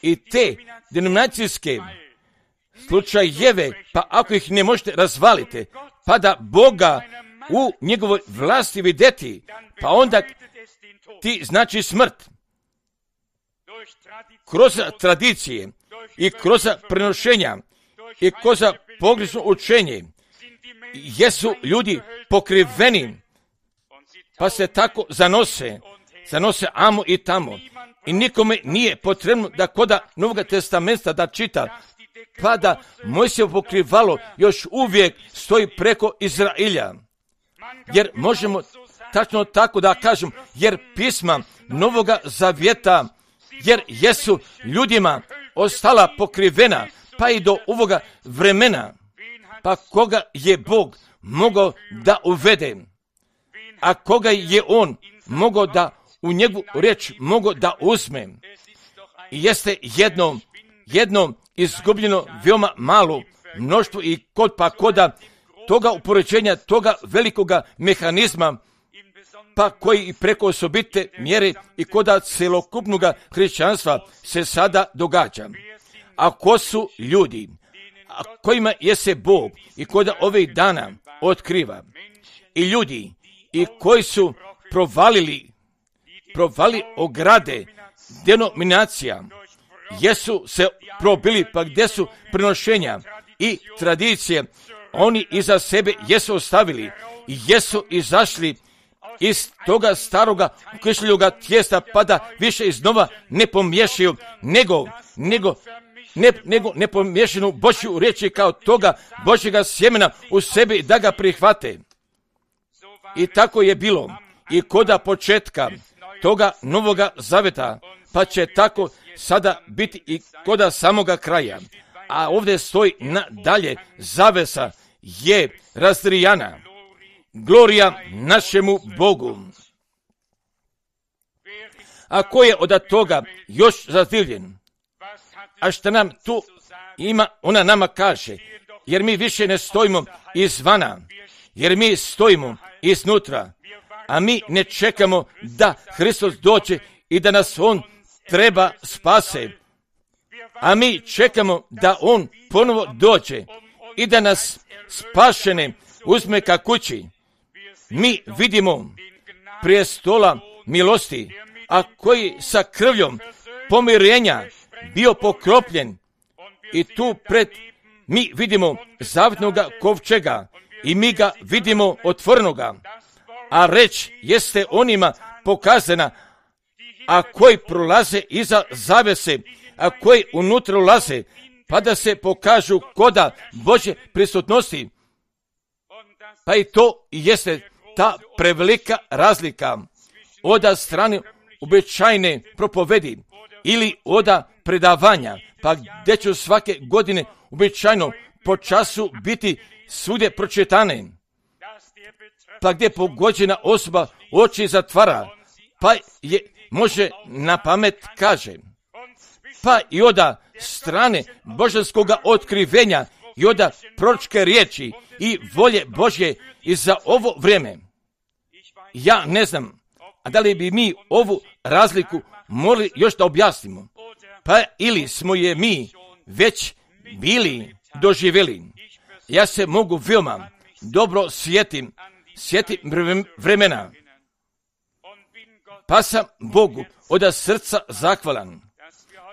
i te denominacijske slučajeve, pa ako ih ne možete razvaliti, pa da Boga u njegovoj vlasti vidjeti, pa onda ti znači smrt. Kroz tradicije i kroz prenošenja i kroz pogrešno učenje jesu ljudi pokriveni, pa se tako zanose, zanose amo i tamo. I nikome nije potrebno da koda Novog testamenta da čita, pa da Mojsijevo pokrivalo još uvijek stoji preko Izrailja. Jer možemo tačno tako da kažem, jer pisma Novoga Zavjeta, jer jesu ljudima ostala pokrivena, pa i do ovoga vremena, pa koga je Bog mogao da uvede, a koga je on mogao da u njegovu riječ mogao da uzme. I jeste jedno, jedno izgubljeno veoma malo mnoštvo i kod pa koda toga upoređenja, toga velikoga mehanizma, pa koji i preko osobite mjere i koda celokupnoga hrišćanstva se sada događa. A ko su ljudi, a kojima je se Bog i koda ovih dana otkriva? I ljudi i koji su provalili, provali ograde denominacija, jesu se probili, pa gdje su prenošenja i tradicije oni iza sebe jesu ostavili i jesu izašli iz toga staroga kišljoga tijesta, pa da više iznova ne pomiješaju, nego, nego, ne, nego ne pomiješanu Božju riječi kao toga Božjega sjemena u sebi da ga prihvate. I tako je bilo i koda početka toga novoga zaveta, pa će tako sada biti i koda samoga kraja. A ovdje stoji nadalje, zavesa je razdrijana. Glorija našemu Bogu. A ko je od toga još zadivljen? A što nam tu ima, ona nama kaže, jer mi više ne stojimo izvana, jer mi stojimo iznutra, a mi ne čekamo da Hristos dođe i da nas On treba spase, a mi čekamo da On ponovo dođe i da nas spašene uzme ka kući. Mi vidimo prijestola milosti, a koji sa krvljom pomirenja bio pokropljen i tu pred mi vidimo zavetnoga kovčega i mi ga vidimo otvornoga, a reč jeste onima pokazana, a koji prolaze iza zavese, a koji unutra ulaze, pa da se pokažu koda Božje prisutnosti. Pa i to jeste ta prevelika razlika od strane običajne propovedi ili od predavanja, pa gdje će svake godine običajno po času biti svugdje pročitane, pa gdje pogođena osoba oči zatvara, pa je može na pamet kaže, pa i od strane božanskoga otkrivenja i od proročke riječi i volje Božje i za ovo vrijeme. Ja ne znam, a da li bi mi ovu razliku morali još da objasnimo, pa ili smo je mi već bili doživjeli. Ja se mogu veoma dobro sjetim, sjetim vremena, pa sam Bogu od srca zahvalan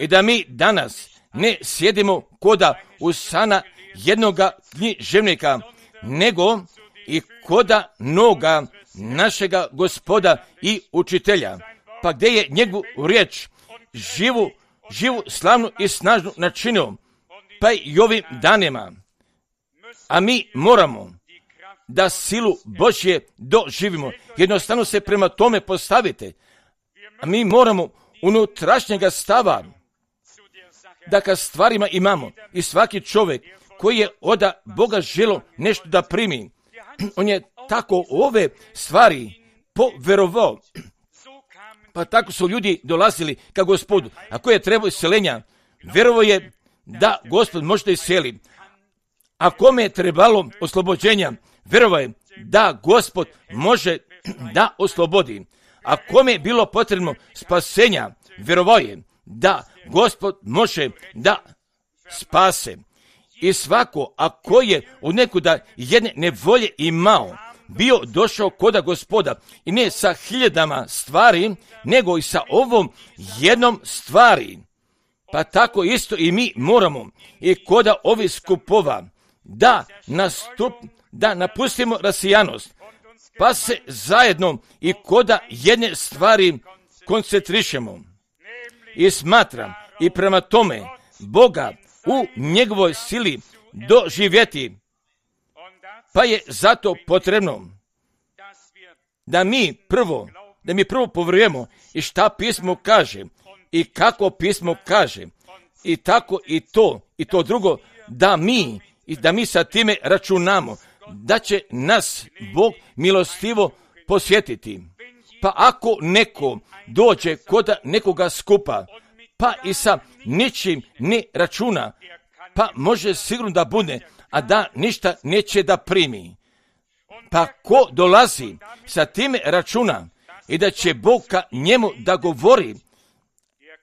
i da mi danas ne sjedimo koda usana jednoga književnika, nego i koda noga našega Gospoda i učitelja, pa gdje je njegovu riječ živu, živu, slavnu i snažnu načinio, pa i ovim danima. A mi moramo da silu Božje doživimo. Jednostavno se prema tome postavite. A mi moramo unutrašnjega stava da ka stvarima imamo. I svaki čovjek koji je od Boga želo nešto da primi, on je tako ove stvari poverovao. Pa tako su ljudi dolazili ka Gospodu. Ako je trebao iseljenja, vjerovao je da Gospod može da iseli. A kome je trebalo oslobođenja, vjerovao je da Gospod može da oslobodi. A kome je bilo potrebno spasenja, vjerovao je da Gospod može da spase. I svako, ako je od nekuda jedne nevolje imao, bio došao koda Gospoda i ne sa hiljadama stvari, nego i sa ovom jednom stvari. Pa tako isto i mi moramo i koda ovih skupova da nastup, da napustimo rasijanost, pa se zajedno i koda jedne stvari koncentrišemo. I smatram i prema tome Boga u njegovoj sili doživjeti, pa je zato potrebno da mi prvo, da mi prvo povjerujemo i šta pismo kaže i kako pismo kaže i tako i to i to drugo, da mi i da mi sa time računamo da će nas Bog milostivo posjetiti. Pa ako neko dođe kod nekoga skupa, pa i sa ničim ne računa, pa može sigurno da bude, a da ništa neće da primi. Pa ko dolazi sa time računa i da će Bog ka njemu da govori,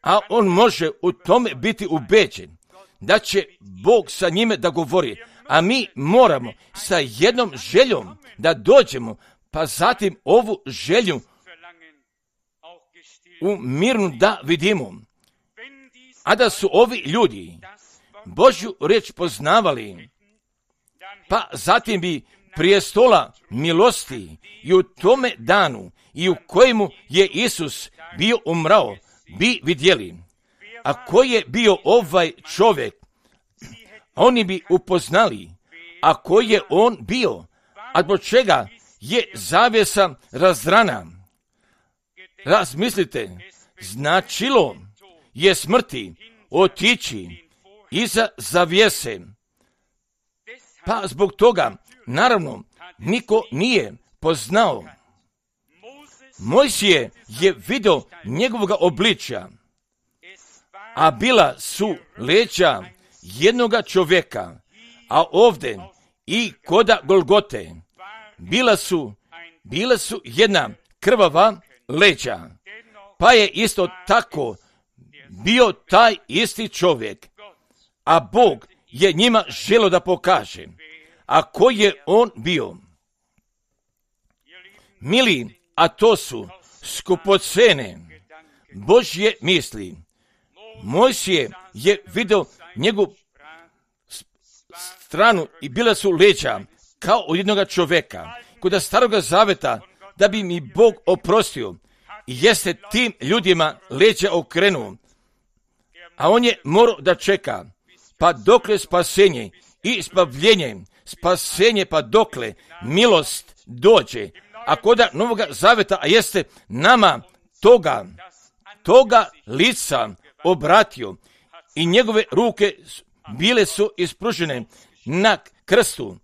a on može u tome biti ubeđen da će Bog sa njime da govori, a mi moramo sa jednom željom da dođemo, pa zatim ovu želju u mirnu da vidimo. A da su ovi ljudi Božju riječ poznavali, pa zatim bi prije stola milosti i u tome danu i u kojemu je Isus bio umrao, bi vidjeli. A ko je bio ovaj čovjek? Oni bi upoznali, a ko je on bio, a zbog čega je zavjesa razdrana. Razmislite, značilo je smrti otići iza zavjese. Pa zbog toga, naravno, niko nije poznao. Mojsije je vidio njegovoga obličja, a bila su leđa jednoga čovjeka, a ovdje i koda Golgote bila su, bila su jedna krvava leđa, pa je isto tako bio taj isti čovjek, a Bog je njima želio da pokaže, a ko je on bio. Mili, a to su skupocene Božje misli. Mojsije je vidio njegovu stranu i bila su leđa kao od jednoga čovjeka. Kod staroga zaveta, da bi mi Bog oprostio, jeste tim ljudima leđa okrenuo, a on je morao da čeka, pa dokle spasenje i spavljenje, spasenje pa dokle milost dođe, a koda Novoga zaveta, a jeste nama toga, toga lica obratio i njegove ruke bile su ispružene na krstu,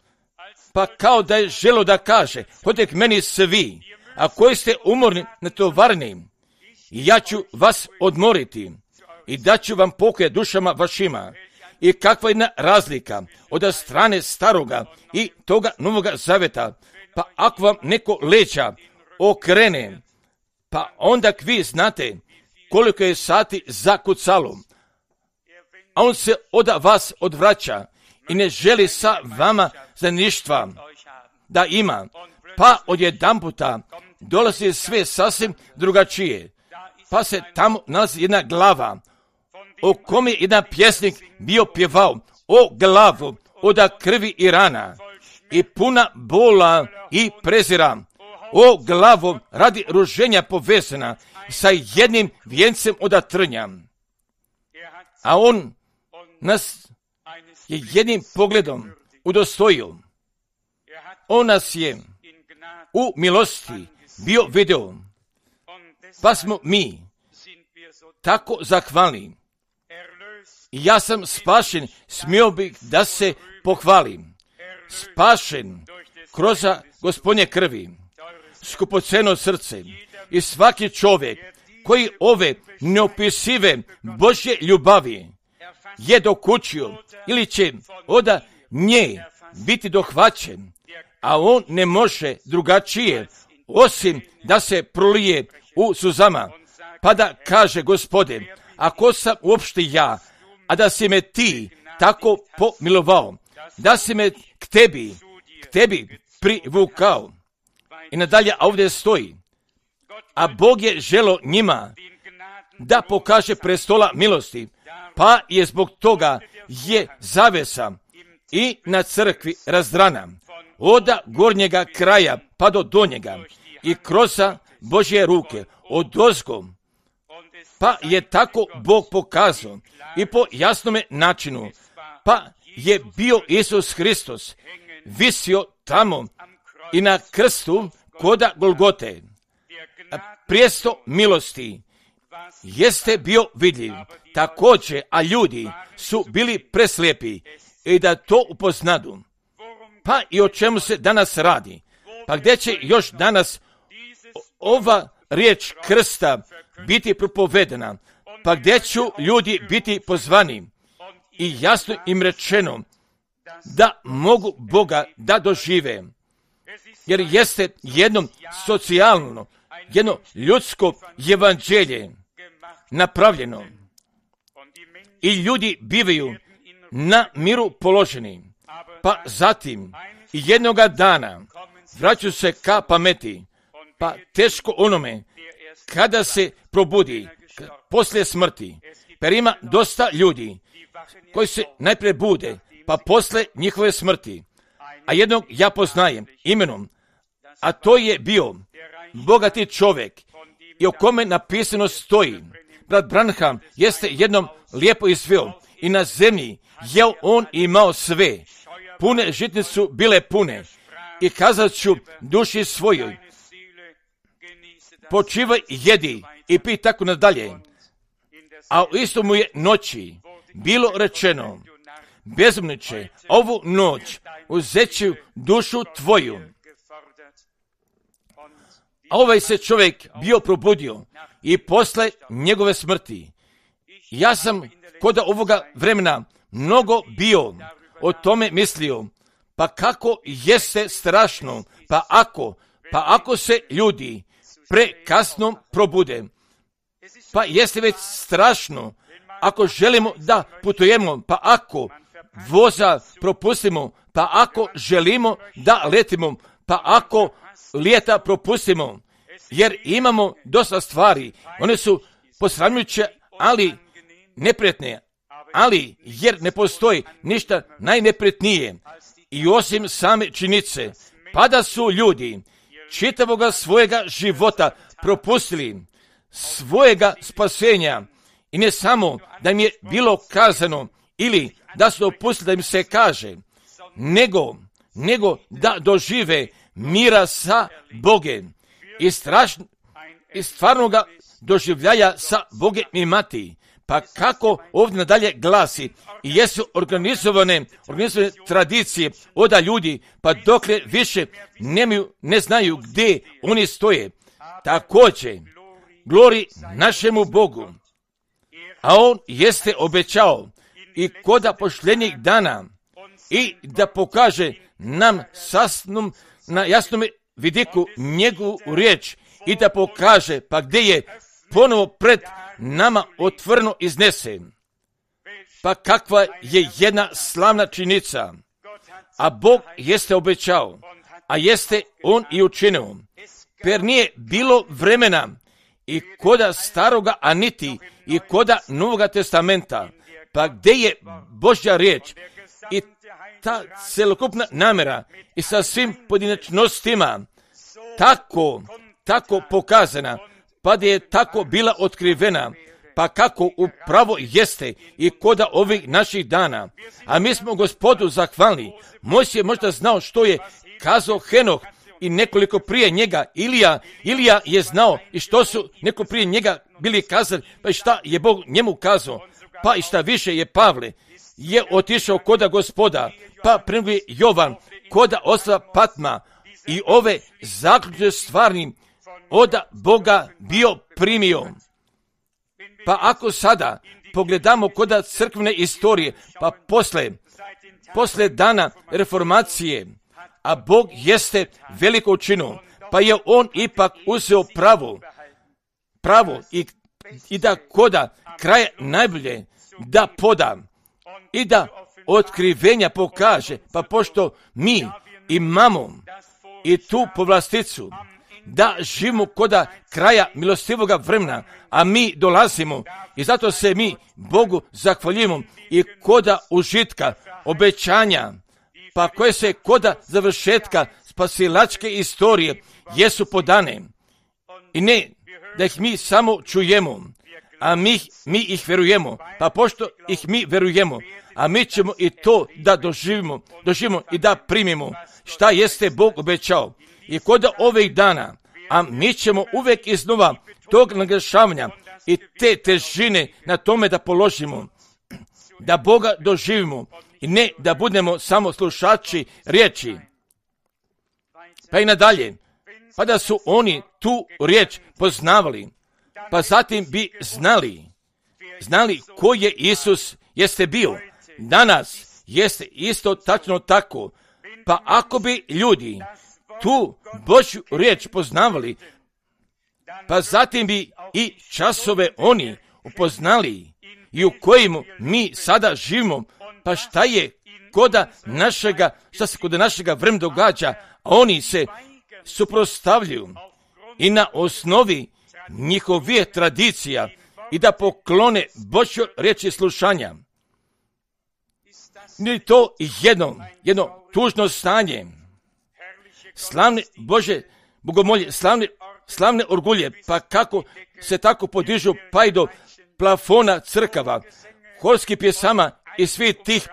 pa kao da je želo da kaže, hodite k meni svi, a koji ste umorni, natovarni, ja ću vas odmoriti i daću vam pokoj dušama vašima. I kakva je jedna razlika od strane staroga i toga Novoga zaveta, pa ako vam neko leđa okrene, pa onda vi znate koliko je sati zakucalo, a on se od vas odvraća i ne želi sa vama za ništa da ima, pa odjedanputa dolazi sve sasvim drugačije, pa se tamo nalazi jedna glava, o kom je jedan pjesnik bio pjevao, o glavu od krvi i rana, i puna bola i prezira, o glavu radi ruženja povezana sa jednim vijencem od trnja. A on nas je jednim pogledom udostojio. On nas je u milosti bio video, pa smo mi tako zahvalni. Ja sam spašen, smio bih da se pohvalim. Spašen kroz Gospodnje krvi, skupoceno srce, i svaki čovjek koji ove neopisive Božje ljubavi je dokučio ili će od nje biti dohvaćen, a on ne može drugačije osim da se prolije u suzama, pa da kaže: Gospode, ako sam uopšte ja, a da si me ti tako pomilovao, da si me k tebi, k tebi privukao. I nadalje ovdje stoji, a Bog je želo njima da pokaže prestola milosti, pa je zbog toga je zavesa i na crkvi razdrana, od gornjega kraja pa do donjega, i kroz Božje ruke, od ozgo, pa je tako Bog pokazao i po jasnome načinu, pa je bio Isus Hristos visio tamo i na krstu koda Golgote. Prijesto milosti jeste bio vidljiv također, a ljudi su bili preslijepi i da to upoznadu. Pa i o čemu se danas radi? Pa gdje će još danas ova riječ krsta biti propovedena? Pa gdje ću ljudi biti pozvani i jasno im rečeno da mogu Boga da dožive? Jer jeste jedno socijalno, jedno ljudsko evanđelje napravljeno i ljudi bivaju na miru položeni, pa zatim jednoga dana vraćaju se ka pameti, pa teško onome kada se probudi poslije smrti. Per ima dosta ljudi koji se najprije bude, pa poslije njihove smrti a jednog ja poznajem imenom, a to je bio bogati čovjek i o kome napisano stoji. Brat Branham jeste jednom lijepo izveo i na zemlji je on imao sve. Pune žitnice su bile pune i kazat ću duši svojoj, počivaj i jedi i pi tako nadalje. A u isto mu je noći bilo rečeno, bezumniče, ovu noć uzet ću dušu tvoju. A ovaj se čovjek bio probudio i posle njegove smrti. Ja sam kod ovoga vremena mnogo bio o tome mislio, pa kako jeste strašno, pa ako, pa ako se ljudi prekasno probude, pa jeste već strašno, ako želimo da putujemo, pa ako voza propustimo, pa ako želimo da letimo, pa ako lijeta propustimo, jer imamo dosta stvari, one su posramljujuće, ali neprijatne, ali jer ne postoji ništa najneprijatnije i osim same činjenice, pa da su ljudi čitavoga svojega života propustili svojega spasenja i ne samo da im je bilo kazano ili da su dopustili da im se kaže, nego, nego da dožive mira sa Bogem i, strašno, i stvarnoga doživljaja sa Bogem imati. Pa kako ovdje nadalje glasi, i jesu organizovane, organizovane tradicije oda ljudi, pa dokle više nemaju, ne znaju gdje oni stoje. Također, glori našemu Bogu, a On jeste obećao i koda pošljenjeg dana i da pokaže nam sasnom, na jasnom vidiku njegovu riječ i da pokaže pa gdje je ponovo pred nama otvoreno iznese. Pa kakva je jedna slavna činjenica, a Bog jeste obećao, a jeste On i učinio. Per nije bilo vremena i koda staroga, a niti i koda Novoga testamenta, pa gdje je Božja riječ i ta celokupna namjera i sa svim pojedinačnostima tako, tako pokazana, pa da je tako bila otkrivena, pa kako upravo jeste i koda ovih naših dana. A mi smo Gospodu zahvalni. Mojsije je možda znao što je kazao Henoh i nekoliko prije njega Ilija. Ilija je znao i što su neko prije njega bili kazali, pa i šta je Bog njemu kazao, pa i šta više je Pavle je otišao koda Gospoda, pa prvi Jovan koda ostrva Patma i ove zaključne stvarni oda Boga bio primio. Pa ako sada pogledamo koda crkvene istorije, pa posle, posle dana reformacije, a Bog jeste veliko učinio, pa je On ipak uzeo pravo, pravo i, i da koda kraja najbolje da poda i da otkrivenja pokaže, pa pošto mi imamo i tu povlasticu, da živimo koda kraja milostivoga vremena, a mi dolazimo i zato se mi Bogu zahvaljujemo i koda užitka, obećanja, pa koje se koda završetka spasilačke istorije jesu podane. I ne da ih mi samo čujemo, a mi, mi ih verujemo, pa pošto ih mi verujemo, a mi ćemo i to da doživimo, doživimo i da primimo šta jeste Bog obećao. I koda ovih dana, a mi ćemo uvijek iznova tog naglašavanja i te težine na tome da položimo, da Boga doživimo i ne da budemo samo slušači riječi. Pa i nadalje, pa da su oni tu riječ poznavali, pa zatim bi znali, znali ko je Isus jeste bio. Danas jeste isto tačno tako, pa ako bi ljudi tu Božju riječ poznavali, pa zatim bi i časove oni upoznali i u kojim mi sada živimo, pa šta je koda našega, šta se kod našega vremena događa, a oni se suprotstavljaju i na osnovi njihovih tradicija i da poklone Božjoj riječi slušanja. Nije to jedno, jedno tužno stanje. Slavne Bože bogomolje, slavne, slavne orgulje, pa kako se tako podižu pa i do plafona crkava, horskih pjesama i svih tih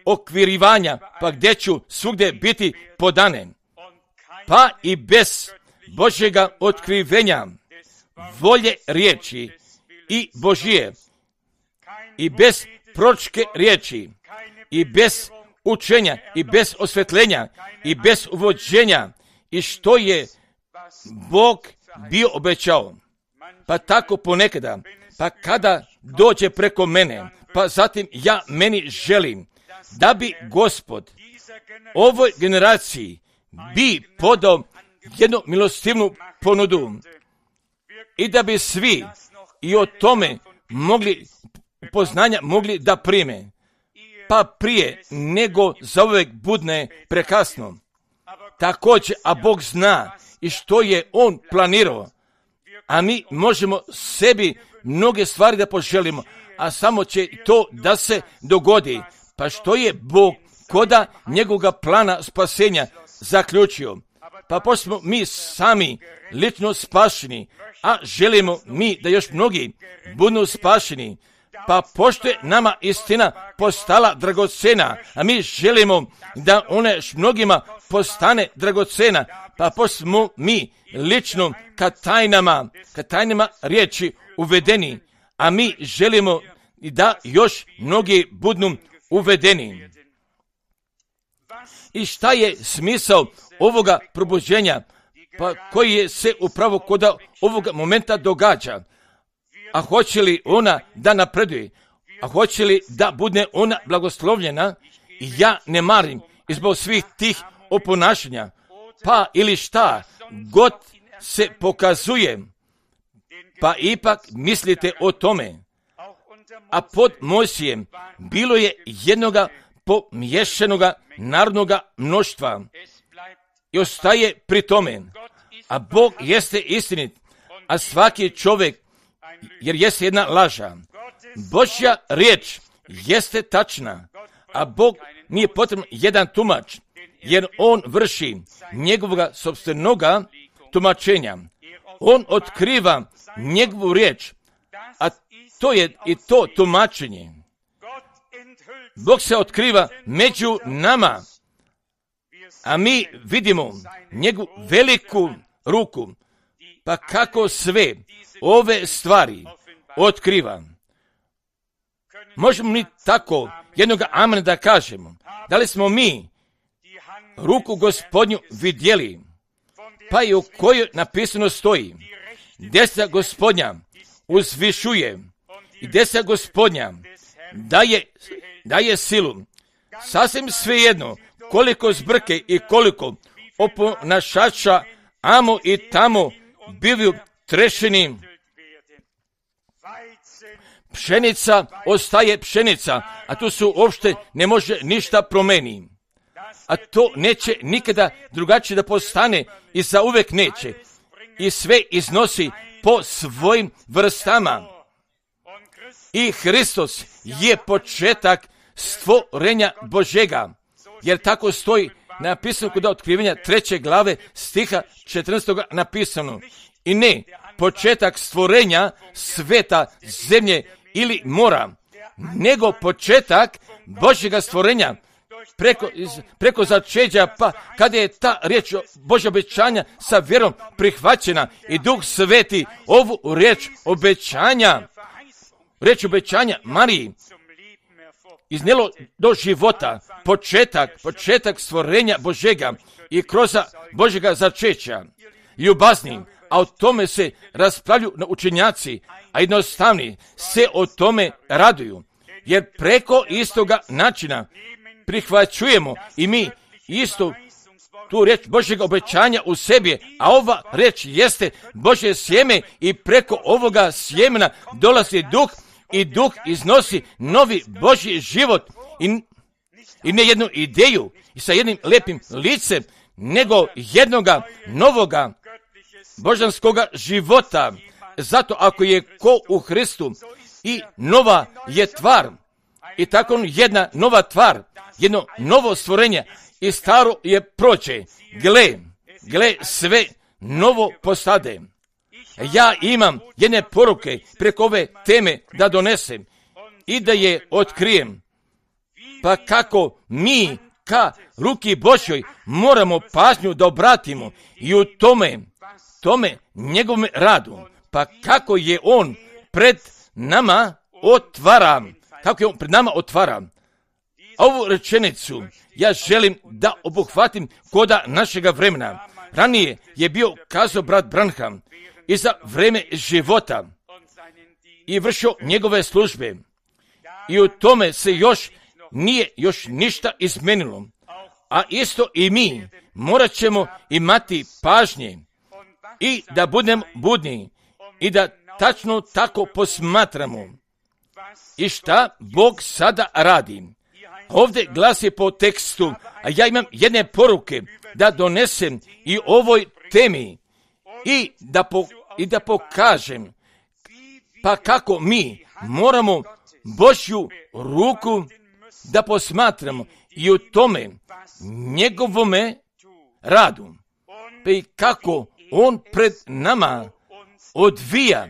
okvirivanja, pa gdje ću svugdje biti podane. Pa i bez Božjega otkrivenja, volje riječi i Božije, i bez proročke riječi, i bez učenja, i bez osvetljenja, i bez uvođenja, i što je Bog bio obećao. Pa tako ponekada, pa kada dođe preko mene, pa zatim ja meni želim da bi Gospod ovoj generaciji bi podao jednu milostivnu ponudu i da bi svi i o tome mogli poznanja mogli da prime, pa prije nego za uvijek budne prekasno. Također, a Bog zna i što je On planirao, a mi možemo sebi mnoge stvari da poželimo, a samo će to da se dogodi. Pa što je Bog koda njegovoga plana spasenja zaključio? Pa pošto smo mi sami lično spašeni, a želimo mi da još mnogi budu spašeni, pa pošto je nama istina postala dragocena, a mi želimo da ona još mnogima postane dragocena, pa pošto smo mi lično ka tajnama, ka tajnama riječi uvedeni, a mi želimo da još mnogi budu uvedeni. I šta je smisao ovoga probuđenja, pa koji je se upravo kod ovoga momenta događa? A hoće li ona da napreduje? A hoće li da bude ona blagoslovljena? Ja ne marim izbog svih tih oponašanja. Pa ili šta god se pokazuje, pa ipak mislite o tome. A pod Mojsijem bilo je jednoga pomiješanoga narodnoga mnoštva i ostaje pri tome. A Bog jeste istinit, a svaki čovjek, jer jeste jedna laža. Božja riječ jeste tačna, a Bog nije potreban jedan tumač, jer On vrši njegovoga sopstvenoga tumačenja. On otkriva njegovu riječ, a to je i to tumačenje. Bog se otkriva među nama, a mi vidimo njegovu veliku ruku, pa kako sve ove stvari otkriva. Možemo mi tako jednog amena da kažemo, da li smo mi ruku Gospodnju vidjeli, pa i u kojoj napisano stoji, desna Gospodnja uzvišuje i desna Gospodnja daje, daje silu. Sasvim svejedno koliko zbrke i koliko oponašača amo i tamo bivaju trešeni, pšenica ostaje pšenica, a tu su uopšte ne može ništa promeni. A to neće nikada drugačije da postane i za uvek neće. I sve iznosi po svojim vrstama. I Hristos je početak stvorenja Božega, jer tako stoji napisano kod otkrivenja treće glave stiha četrnaestog napisano. I ne početak stvorenja sveta, zemlje ili mora, nego početak Božjega stvorenja preko, preko začeđa, pa kada je ta riječ Božja obećanja sa vjerom prihvaćena i Duh Sveti ovu riječ obećanja, riječ obećanja Mariji iznijelo do života, početak, početak stvorenja Božega i kroz Božjega začeća, ljubazni, a o tome se raspravlju na učenjaci, a jednostavni se o tome raduju, jer preko istoga načina prihvaćujemo i mi isto tu riječ Božjega obećanja u sebi, a ova riječ jeste Božje sjeme i preko ovoga sjemena dolazi duh i duh iznosi novi Božji život i, i ne jednu ideju i sa jednim lijepim licem, nego jednoga novoga božanskoga života. Zato ako je ko u Hristu i nova je tvar, I tako jedna nova tvar, jedno novo stvorenje i staro je prođe. Gle, gle, sve novo postade. Ja imam jedne poruke preko ove teme da donesem i da je otkrijem. Pa kako mi ka ruki Božjoj moramo pažnju da obratimo i u tome, tome njegovom radu. Pa kako je on pred nama otvara, kako je on pred nama otvara. Ovu rečenicu ja želim da obuhvatim koda našega vremena. Ranije je bio kazao brat Branham i za vreme života i vršio njegove službe. I u tome se još nije još ništa izmenilo. A isto i mi morat ćemo imati pažnje i da budemo budni i da tačno tako posmatramo. I šta Bog sada radi? Ovdje glasi po tekstu, a ja imam jedne poruke da donesem i ovoj temi i da, po, i da pokažem pa kako mi moramo Božju ruku da posmatramo i u tome njegovome radu. Pa i kako on pred nama odvija.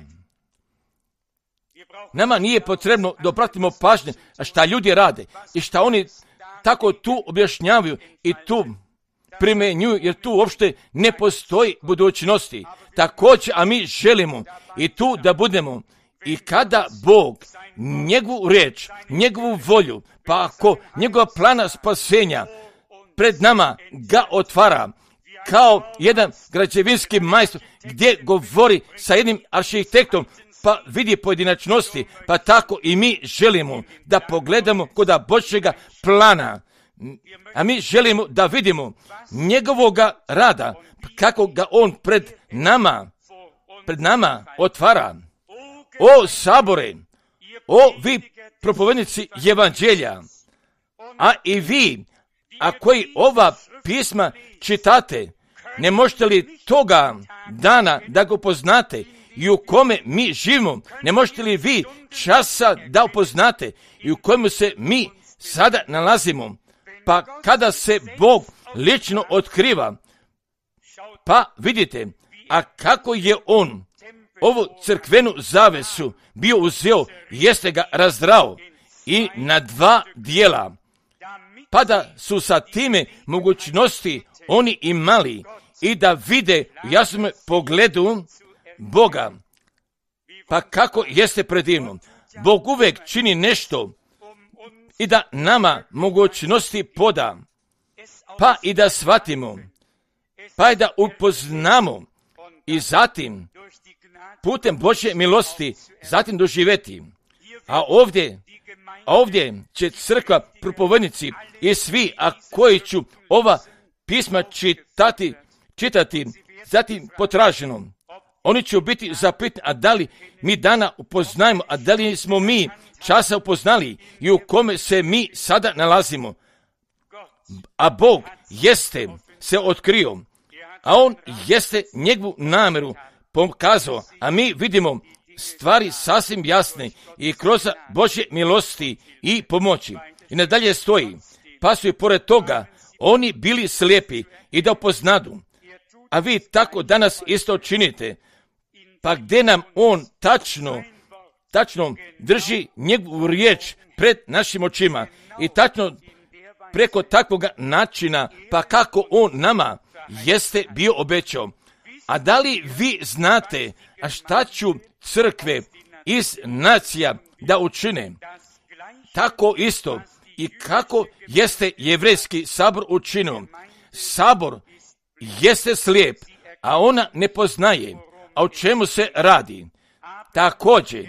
Nama nije potrebno da obratimo pažnje šta ljudi rade i šta oni tako tu objašnjavaju i tu primenjuju, jer tu uopšte ne postoji budućnosti. Također, a mi želimo i tu da budemo i kada Bog njegovu riječ, njegovu volju, pa ako njegova plana spasenja pred nama ga otvara kao jedan građevinski majstor gdje govori sa jednim arhitektom, pa vidi pojedinačnosti, pa tako i mi želimo da pogledamo koda Božjega plana. A mi želimo da vidimo njegovoga rada, kako ga on pred nama, pred nama otvara. O sabore, o vi propovednici evanđelja, a i vi, a koji ova pisma čitate, ne možete li toga dana da ga upoznate i u kome mi živimo, ne možete li vi časa da upoznate i u kojemu se mi sada nalazimo, pa kada se Bog lično otkriva, pa vidite, a kako je on ovu crkvenu zavesu bio uzeo, jeste ga razdrao i na dva dijela, pa da su sa time mogućnosti oni imali i da vide u jasnom pogledu Boga. Pa kako jeste predivno. Bog uvek čini nešto i da nama mogućnosti poda, pa i da shvatimo, pa i da upoznamo i zatim putem Božje milosti zatim doživjeti. A ovdje, a ovdje će crkva, propovednici i svi, a koji ću ova pisma čitati, čitati zatim potraženo, oni će biti zapitani, a da li mi dana upoznajemo, a da li smo mi časa upoznali i u kome se mi sada nalazimo. A Bog jeste se otkrio, a on jeste njegovu namjeru pokazao, a mi vidimo stvari sasvim jasne i kroz Božje milosti i pomoći. I nadalje stoji, pa su i pored toga oni bili slijepi i da upoznadu. A vi tako danas isto činite, pa gdje nam on tačno, tačno drži njegovu riječ pred našim očima i tačno preko takvog načina, pa kako on nama jeste bio obećao. A da li vi znate, a šta ću crkve iz nacija da učine? Tako isto i kako jeste jevrejski sabor učinio. Sabor jeste slijep, a ona ne poznaje, a o čemu se radi. Također,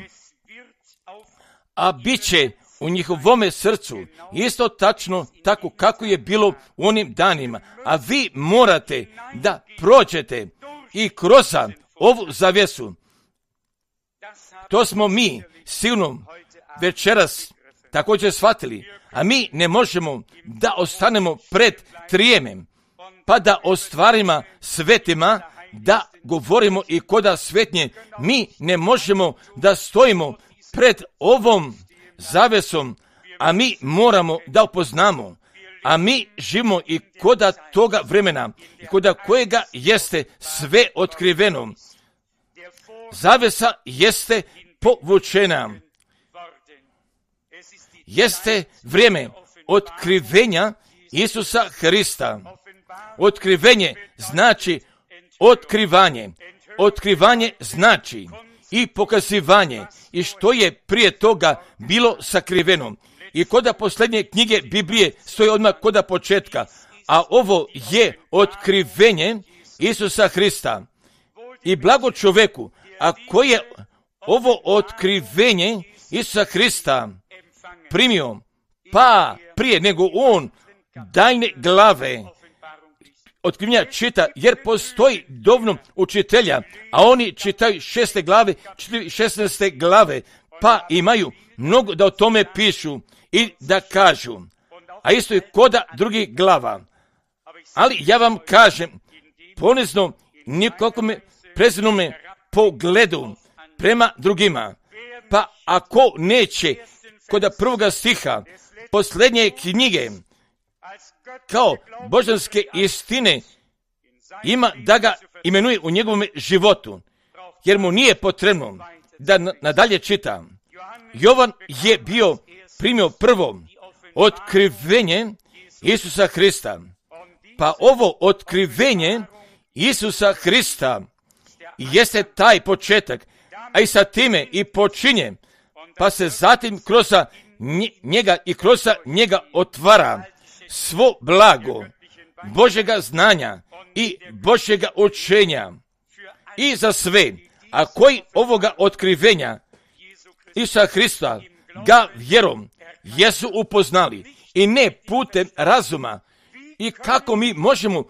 a bit će u njihovome srcu isto tačno tako kako je bilo u onim danima. A vi morate da prođete i kroz ovu zavjesu. To smo mi silno večeras također shvatili, a mi ne možemo da ostanemo pred trijemem, pa da o stvarima svetima da govorimo i koda svetnje. Mi ne možemo da stojimo pred ovom zavesom, a mi moramo da upoznamo, a mi živimo i koda toga vremena, i koda kojega jeste sve otkriveno. Zavesa jeste povučena. Jeste vrijeme otkrivenja Isusa Hrista. Otkrivenje znači otkrivanje. Otkrivanje znači i pokazivanje. I što je prije toga bilo sakriveno. I koda posljednje knjige Biblije stoji odmah koda početka. A ovo je otkrivenje Isusa Hrista. I blago čovjeku, a koje je ovo otkrivenje Isusa Hrista primio, pa prije nego on daljne glave otkrivenja čita, jer postoji dovoljno učitelja, a oni čitaju šeste glave, čitaju šesnaeste glave, pa imaju mnogo da o tome pišu i da kažu. A isto je koda drugih glava. Ali ja vam kažem, ponizno, nikako me preznome pogledu prema drugima. Pa ako neće, koda prvoga stiha, posljednje knjige, kao božanske istine, ima da ga imenuje u njegovom životu, jer mu nije potrebno da nadalje čita. Jovan je bio primio prvo otkrivenje Isusa Hrista. Pa ovo otkrivenje Isusa Hrista jeste taj početak, a i sa time i počinje, pa se zatim kroz njega i kroz njega otvara svo blago Božjega znanja i Božjega učenja i za sve, a koji ovoga otkrivenja Isusa Hrista ga vjerom jesu upoznali i ne putem razuma. I kako mi možemo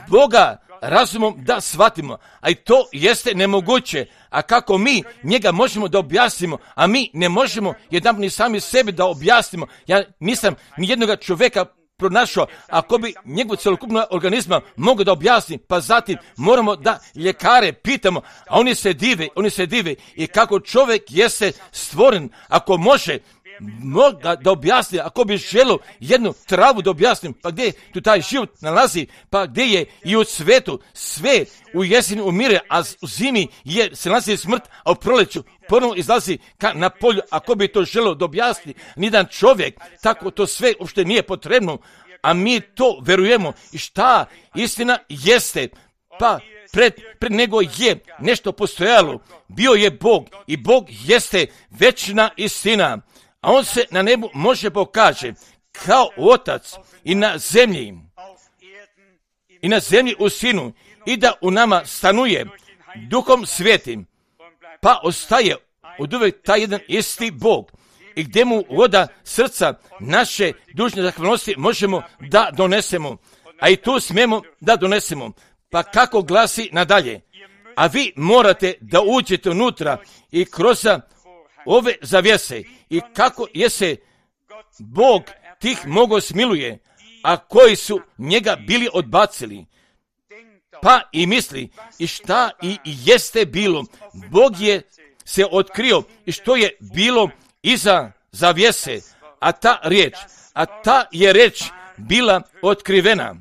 Boga razumom da shvatimo, a i to jeste nemoguće. A kako mi njega možemo da objasnimo, a mi ne možemo jedan ni sami sebi da objasnimo. Ja nisam ni jednog čovjeka pronašao, ako bi njegov celokupnog organizma mogao da objasni, pa zatim moramo da ljekare pitamo, a oni se dive, oni se dive i kako čovjek jeste stvoren, ako može Moga da objasni, ako bi želio jednu travu da objasnim, pa gdje tu taj život nalazi, pa gdje je i u svijetu sve u jeseni umire, a u zimi je, se nalazi smrt, a u proleću ponovno izlazi ka, na polju, ako bi to želio da objasni nijedan čovjek, tako to sve uopšte nije potrebno, a mi to verujemo. I šta istina jeste, pa pred, pred nego je nešto postojalo, bio je Bog i Bog jeste večna istina. A on se na nebu može pokaže kao otac i na zemlji, i na zemlji u sinu, i da u nama stanuje duhom svetim, pa ostaje od uvijek taj jedan isti Bog, i gdje mu voda srca naše dužne zahvalnosti možemo da donesemo, a i tu smijemo da donesemo. Pa kako glasi nadalje? A vi morate da uđete unutra i kroz ove zavjese, i kako je se Bog tih mogo smiluje, a koji su njega bili odbacili. Pa i misli, i šta i jeste bilo, Bog je se otkrio i što je bilo iza zavjese, a ta riječ, a ta je riječ bila otkrivena,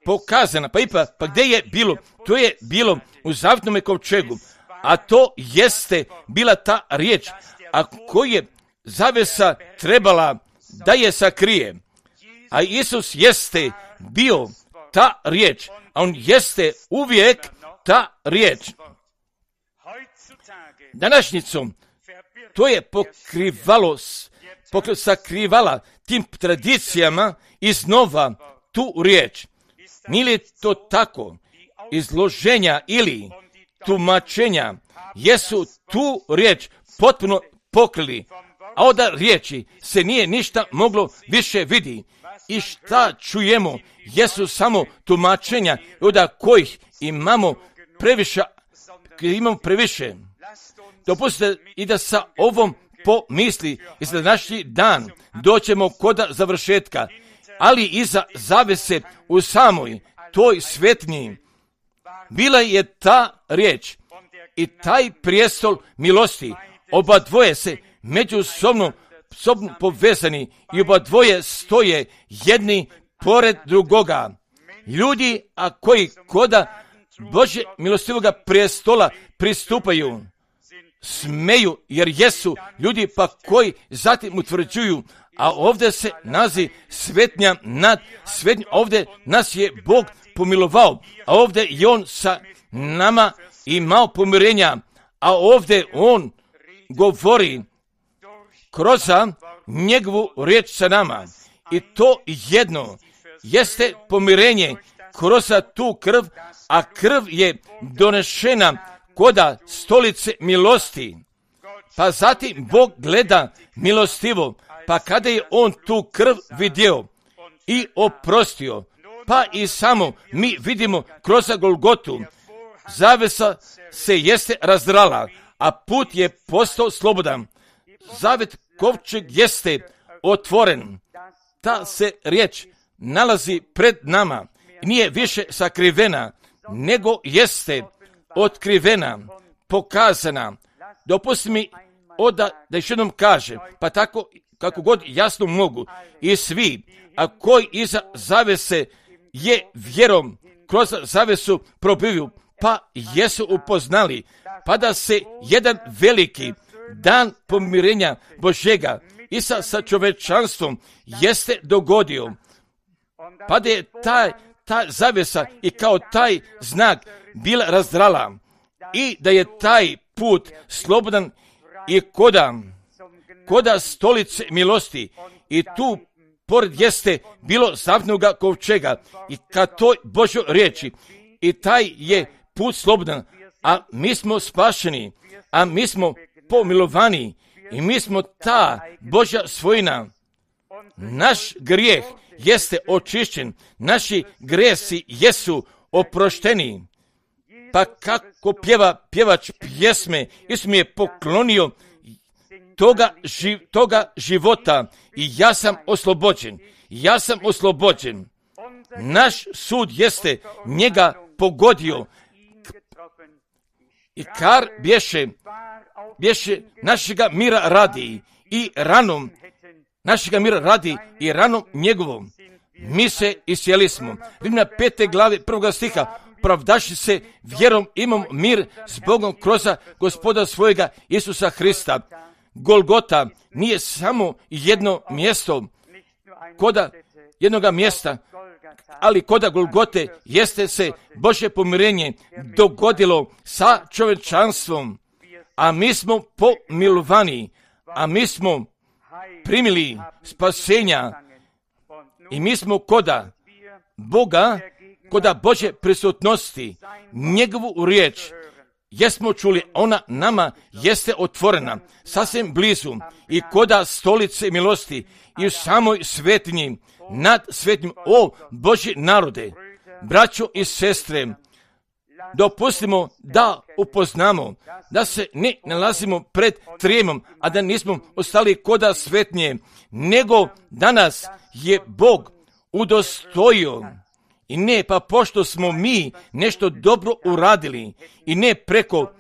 pokazana, pa ipak, pa gdje je bilo? To je bilo u zavjetnome kovčegu, a to jeste bila ta riječ, a koji je zavjesa trebala da je sakrije. A Isus jeste bio ta riječ, a on jeste uvijek ta riječ. Današnjicom to je pokrivalo, pokri, sakrivala tim tradicijama iznova tu riječ. Nije li to tako? Izloženja ili tumačenja jesu tu riječ potpuno pokrili, a od riječi se nije ništa moglo više vidi. I šta čujemo jesu samo tumačenja, od kojih imamo previše, imamo previše. Dopustite i da sa ovom pomisli i za današnji dan doćemo kod završetka, ali iza zavese u samoj toj svetnji bila je ta riječ i taj prijestol milosti. Oba dvoje se međusobno sobno povezani i oba dvoje stoje jedni pored drugoga. Ljudi, a koji koda Božje milostivoga prestola pristupaju, smeju jer jesu ljudi pa koji zatim utvrđuju, a ovdje se nazi svetnja nad svetnjom, ovdje nas je Bog pomilovao, a ovdje je On sa nama imao pomirenja, a ovdje On govori kroz njegovu riječ sa nama. I to jedno jeste pomirenje kroz tu krv, a krv je donešena koda stolice milosti. Pa zatim Bog gleda milostivo, pa kada je On tu krv vidio i oprostio, pa i samo mi vidimo kroz Golgotu, zavesa se jeste razdrala, a put je postao slobodan. Zavet kovčeg jeste otvoren. Ta se riječ nalazi pred nama. Nije više sakrivena, nego jeste otkrivena, pokazana. Dopusti mi oda da još jednom kažem, pa tako kako god jasno mogu, i svi, a koji iza zavese je vjerom kroz zavesu probiju, pa jesu upoznali, pa da se jedan veliki dan pomirenja Božjega i sa, sa čovečanstvom jeste dogodio, pa da je taj, ta zavesa i kao taj znak bila razdrala i da je taj put slobodan i koda, koda stolice milosti i tu pored jeste bilo zavnoga kovčega i ka toj Božoj riječi i taj je put slobodan, a mi smo spašeni, a mi smo pomilovani i mi smo ta Božja svojina. Naš grijeh jeste očišćen, naši gresi jesu oprošteni. Pa kako pjeva pjevač pjesme, Isus mi je poklonio toga, ži, toga života i ja sam oslobođen, ja sam oslobođen. Naš sud jeste njega pogodio i kar bješe, bješe našega mira radi i ranom, našega mira radi i ranom njegovom. Mi se isjeli smo. Rimljana pete glave prvoga stiha, pravdaši se vjerom imam mir s Bogom kroz Gospoda svojega Isusa Hrista. Golgota nije samo jedno mjesto, koda jednoga mjesta, ali koda Golgote jeste se Božje pomirenje dogodilo sa čovečanstvom, a mi smo pomilovani, a mi smo primili spasenja i mi smo koda Boga, koda Božje prisutnosti, njegovu riječ, jesmo čuli, ona nama jeste otvorena, sasvim blizu i koda stolice milosti i u samoj svetinji, nad svetinjom, o Božji narode, braćo i sestre, dopustimo da upoznamo, da se ne nalazimo pred trijemom, a da nismo ostali koda svetnje, nego danas je Bog udostojio. I ne pa pošto smo mi nešto dobro uradili i ne preko,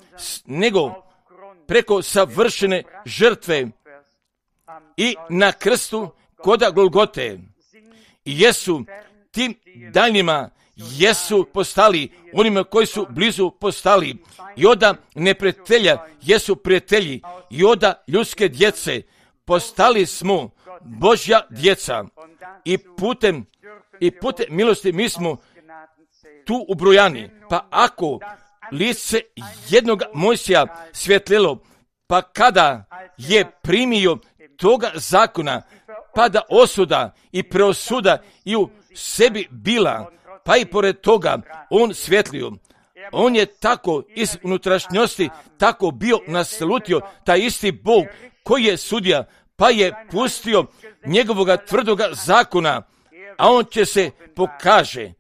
nego preko savršene žrtve i na krstu koda Golgote. I jesu tim daljnjima jesu postali, onima koji su blizu postali, i oda neprijatelja jesu prijatelji, i oda ljudske djece postali smo Božja djeca i putem i putem milosti mi smo tu ubrojani. Pa ako lice jednog Mojsija svjetlilo, pa kada je primio toga zakona, pa da osuda i preosuda i u sebi bila, pa i pored toga on svjetlio. On je tako iz unutrašnjosti tako bio naslutio taj isti Bog koji je sudija, pa je pustio njegovoga tvrdoga zakona, a on će se pokaže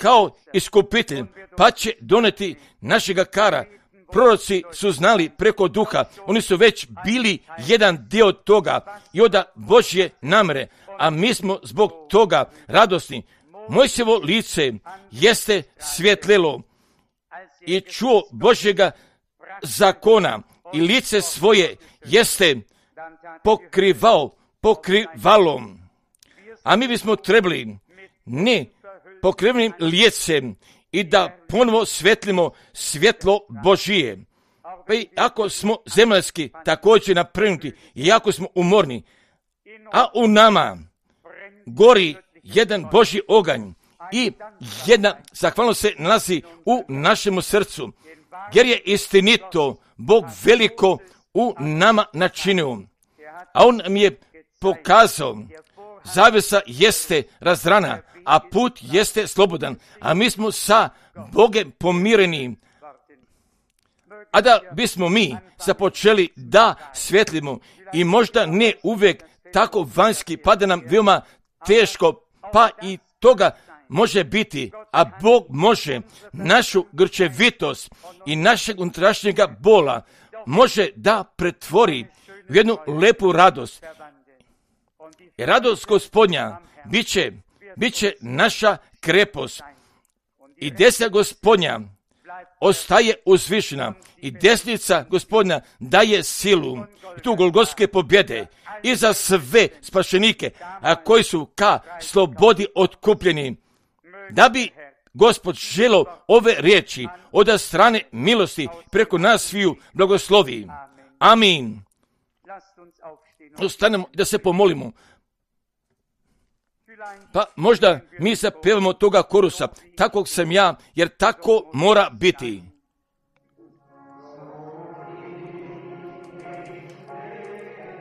kao iskupitelj, pa će doneti našega kara. Proroci su znali preko duha, oni su već bili jedan dio toga i oda Božje namere, a mi smo zbog toga radosni. Mojsijevo lice jeste svjetlilo i čuo Božjega zakona i lice svoje jeste pokrivao pokrivalom. A mi bismo trebali ne pokrivenim lijecem i da ponovo svetlimo svjetlo Božije. Pa i ako smo zemaljski također naprenuti i ako smo umorni, a u nama gori jedan Božji oganj i jedna zahvalnost se nalazi u našemu srcu, jer je istinito Bog veliko u nama načinio. A on nam je pokazao, zavjesa jeste razrana, a put jeste slobodan, a mi smo sa Bogem pomireni. A da bismo mi započeli da svjetlimo i možda ne uvijek tako vanjski, pa da nam veoma teško, pa i toga može biti, a Bog može našu grčevitost i našeg unutrašnjega bola može da pretvori u jednu lepu radost. I radost Gospodnja bit će, bit će naša krepost. I desna Gospodnja ostaje uzvišena i desnica Gospodnja daje silu i tu golgotske pobjede i za sve spašenike, a koji su ka slobodi otkupljeni. Da bi Gospod želo ove riječi od strane milosti preko nas sviju blagoslovi. Amin. Ostanemo da se pomolimo. Pa možda mi zapevamo toga korusa, takvog sam ja, jer tako mora biti.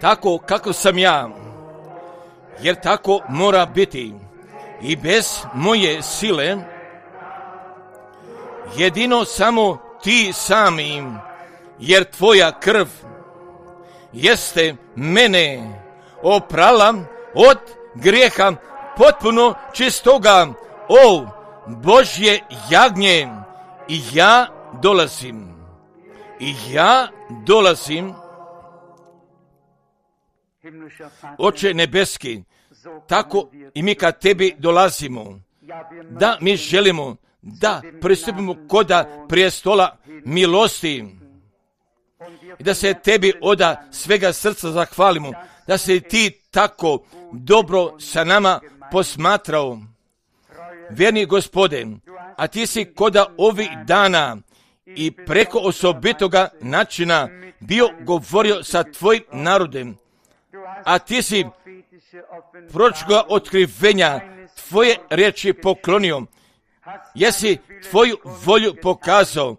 Tako kako sam ja, jer tako mora biti. I bez moje sile, jedino samo ti sami, jer tvoja krv jeste mene oprala od grijeha potpuno čistoga, o Božje jagnje, i ja dolazim, i ja dolazim, Oče nebeski, tako i mi kad tebi dolazimo, da mi želimo da pristupimo koda prijestola milosti i da se tebi oda svega srca zahvalimo, da se ti tako dobro sa nama posmatrao. Vjerni Gospode, a ti si koda ovih dana i preko osobitoga načina bio govorio sa tvojim narodem, a ti si proročkoga otkrivenja tvoje riječi poklonio, jesi tvoju volju pokazao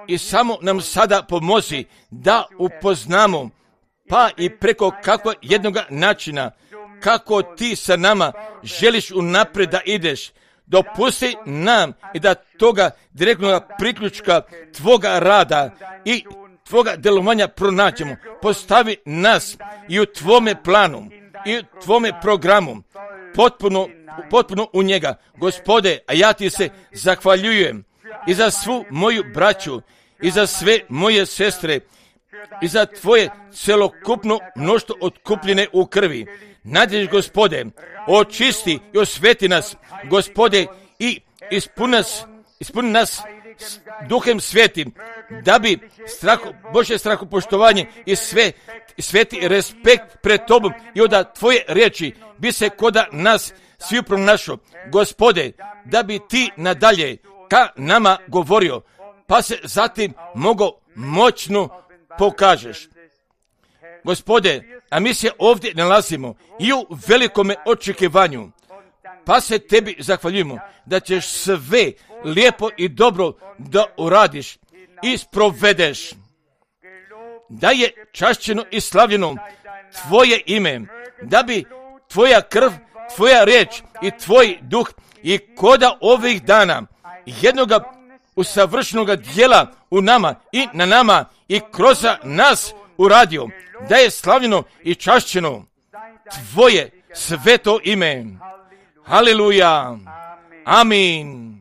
i samo nam sada pomozi da upoznamo, pa i preko kakvog jednoga načina, kako ti sa nama želiš unaprijed da ideš. Dopusti nam i da toga direktnog priključka tvoga rada i tvoga djelovanja pronađemo. Postavi nas i u tvome planu i u tvome programu potpuno, potpuno u njega. Gospode, a ja ti se zahvaljujem i za svu moju braću i za sve moje sestre i za tvoje celokupno mnoštvo otkupljene u krvi. Nadješ, Gospode, očisti i osveti nas, Gospode, i ispuni nas, ispuni nas Duhem Svetim, da bi strahu, Božje strahopoštovanje i sve, sveti respekt pred tobom i od tvoje riječi bi se koda nas svi pronašao. Gospode, da bi ti nadalje ka nama govorio, pa se zatim mogo moćno pokažeš. Gospode, a mi se ovdje nalazimo i u velikome očekivanju, pa se tebi zahvaljujemo da ćeš sve lijepo i dobro da uradiš i sprovedeš. Da je čašćeno i slavljeno tvoje ime, da bi tvoja krv, tvoja riječ i tvoj duh i koda ovih dana jednoga usavršenog dijela u nama i na nama i kroz nas uradio, da je slavljeno i čašćeno tvoje sveto ime. Haleluja. Amin.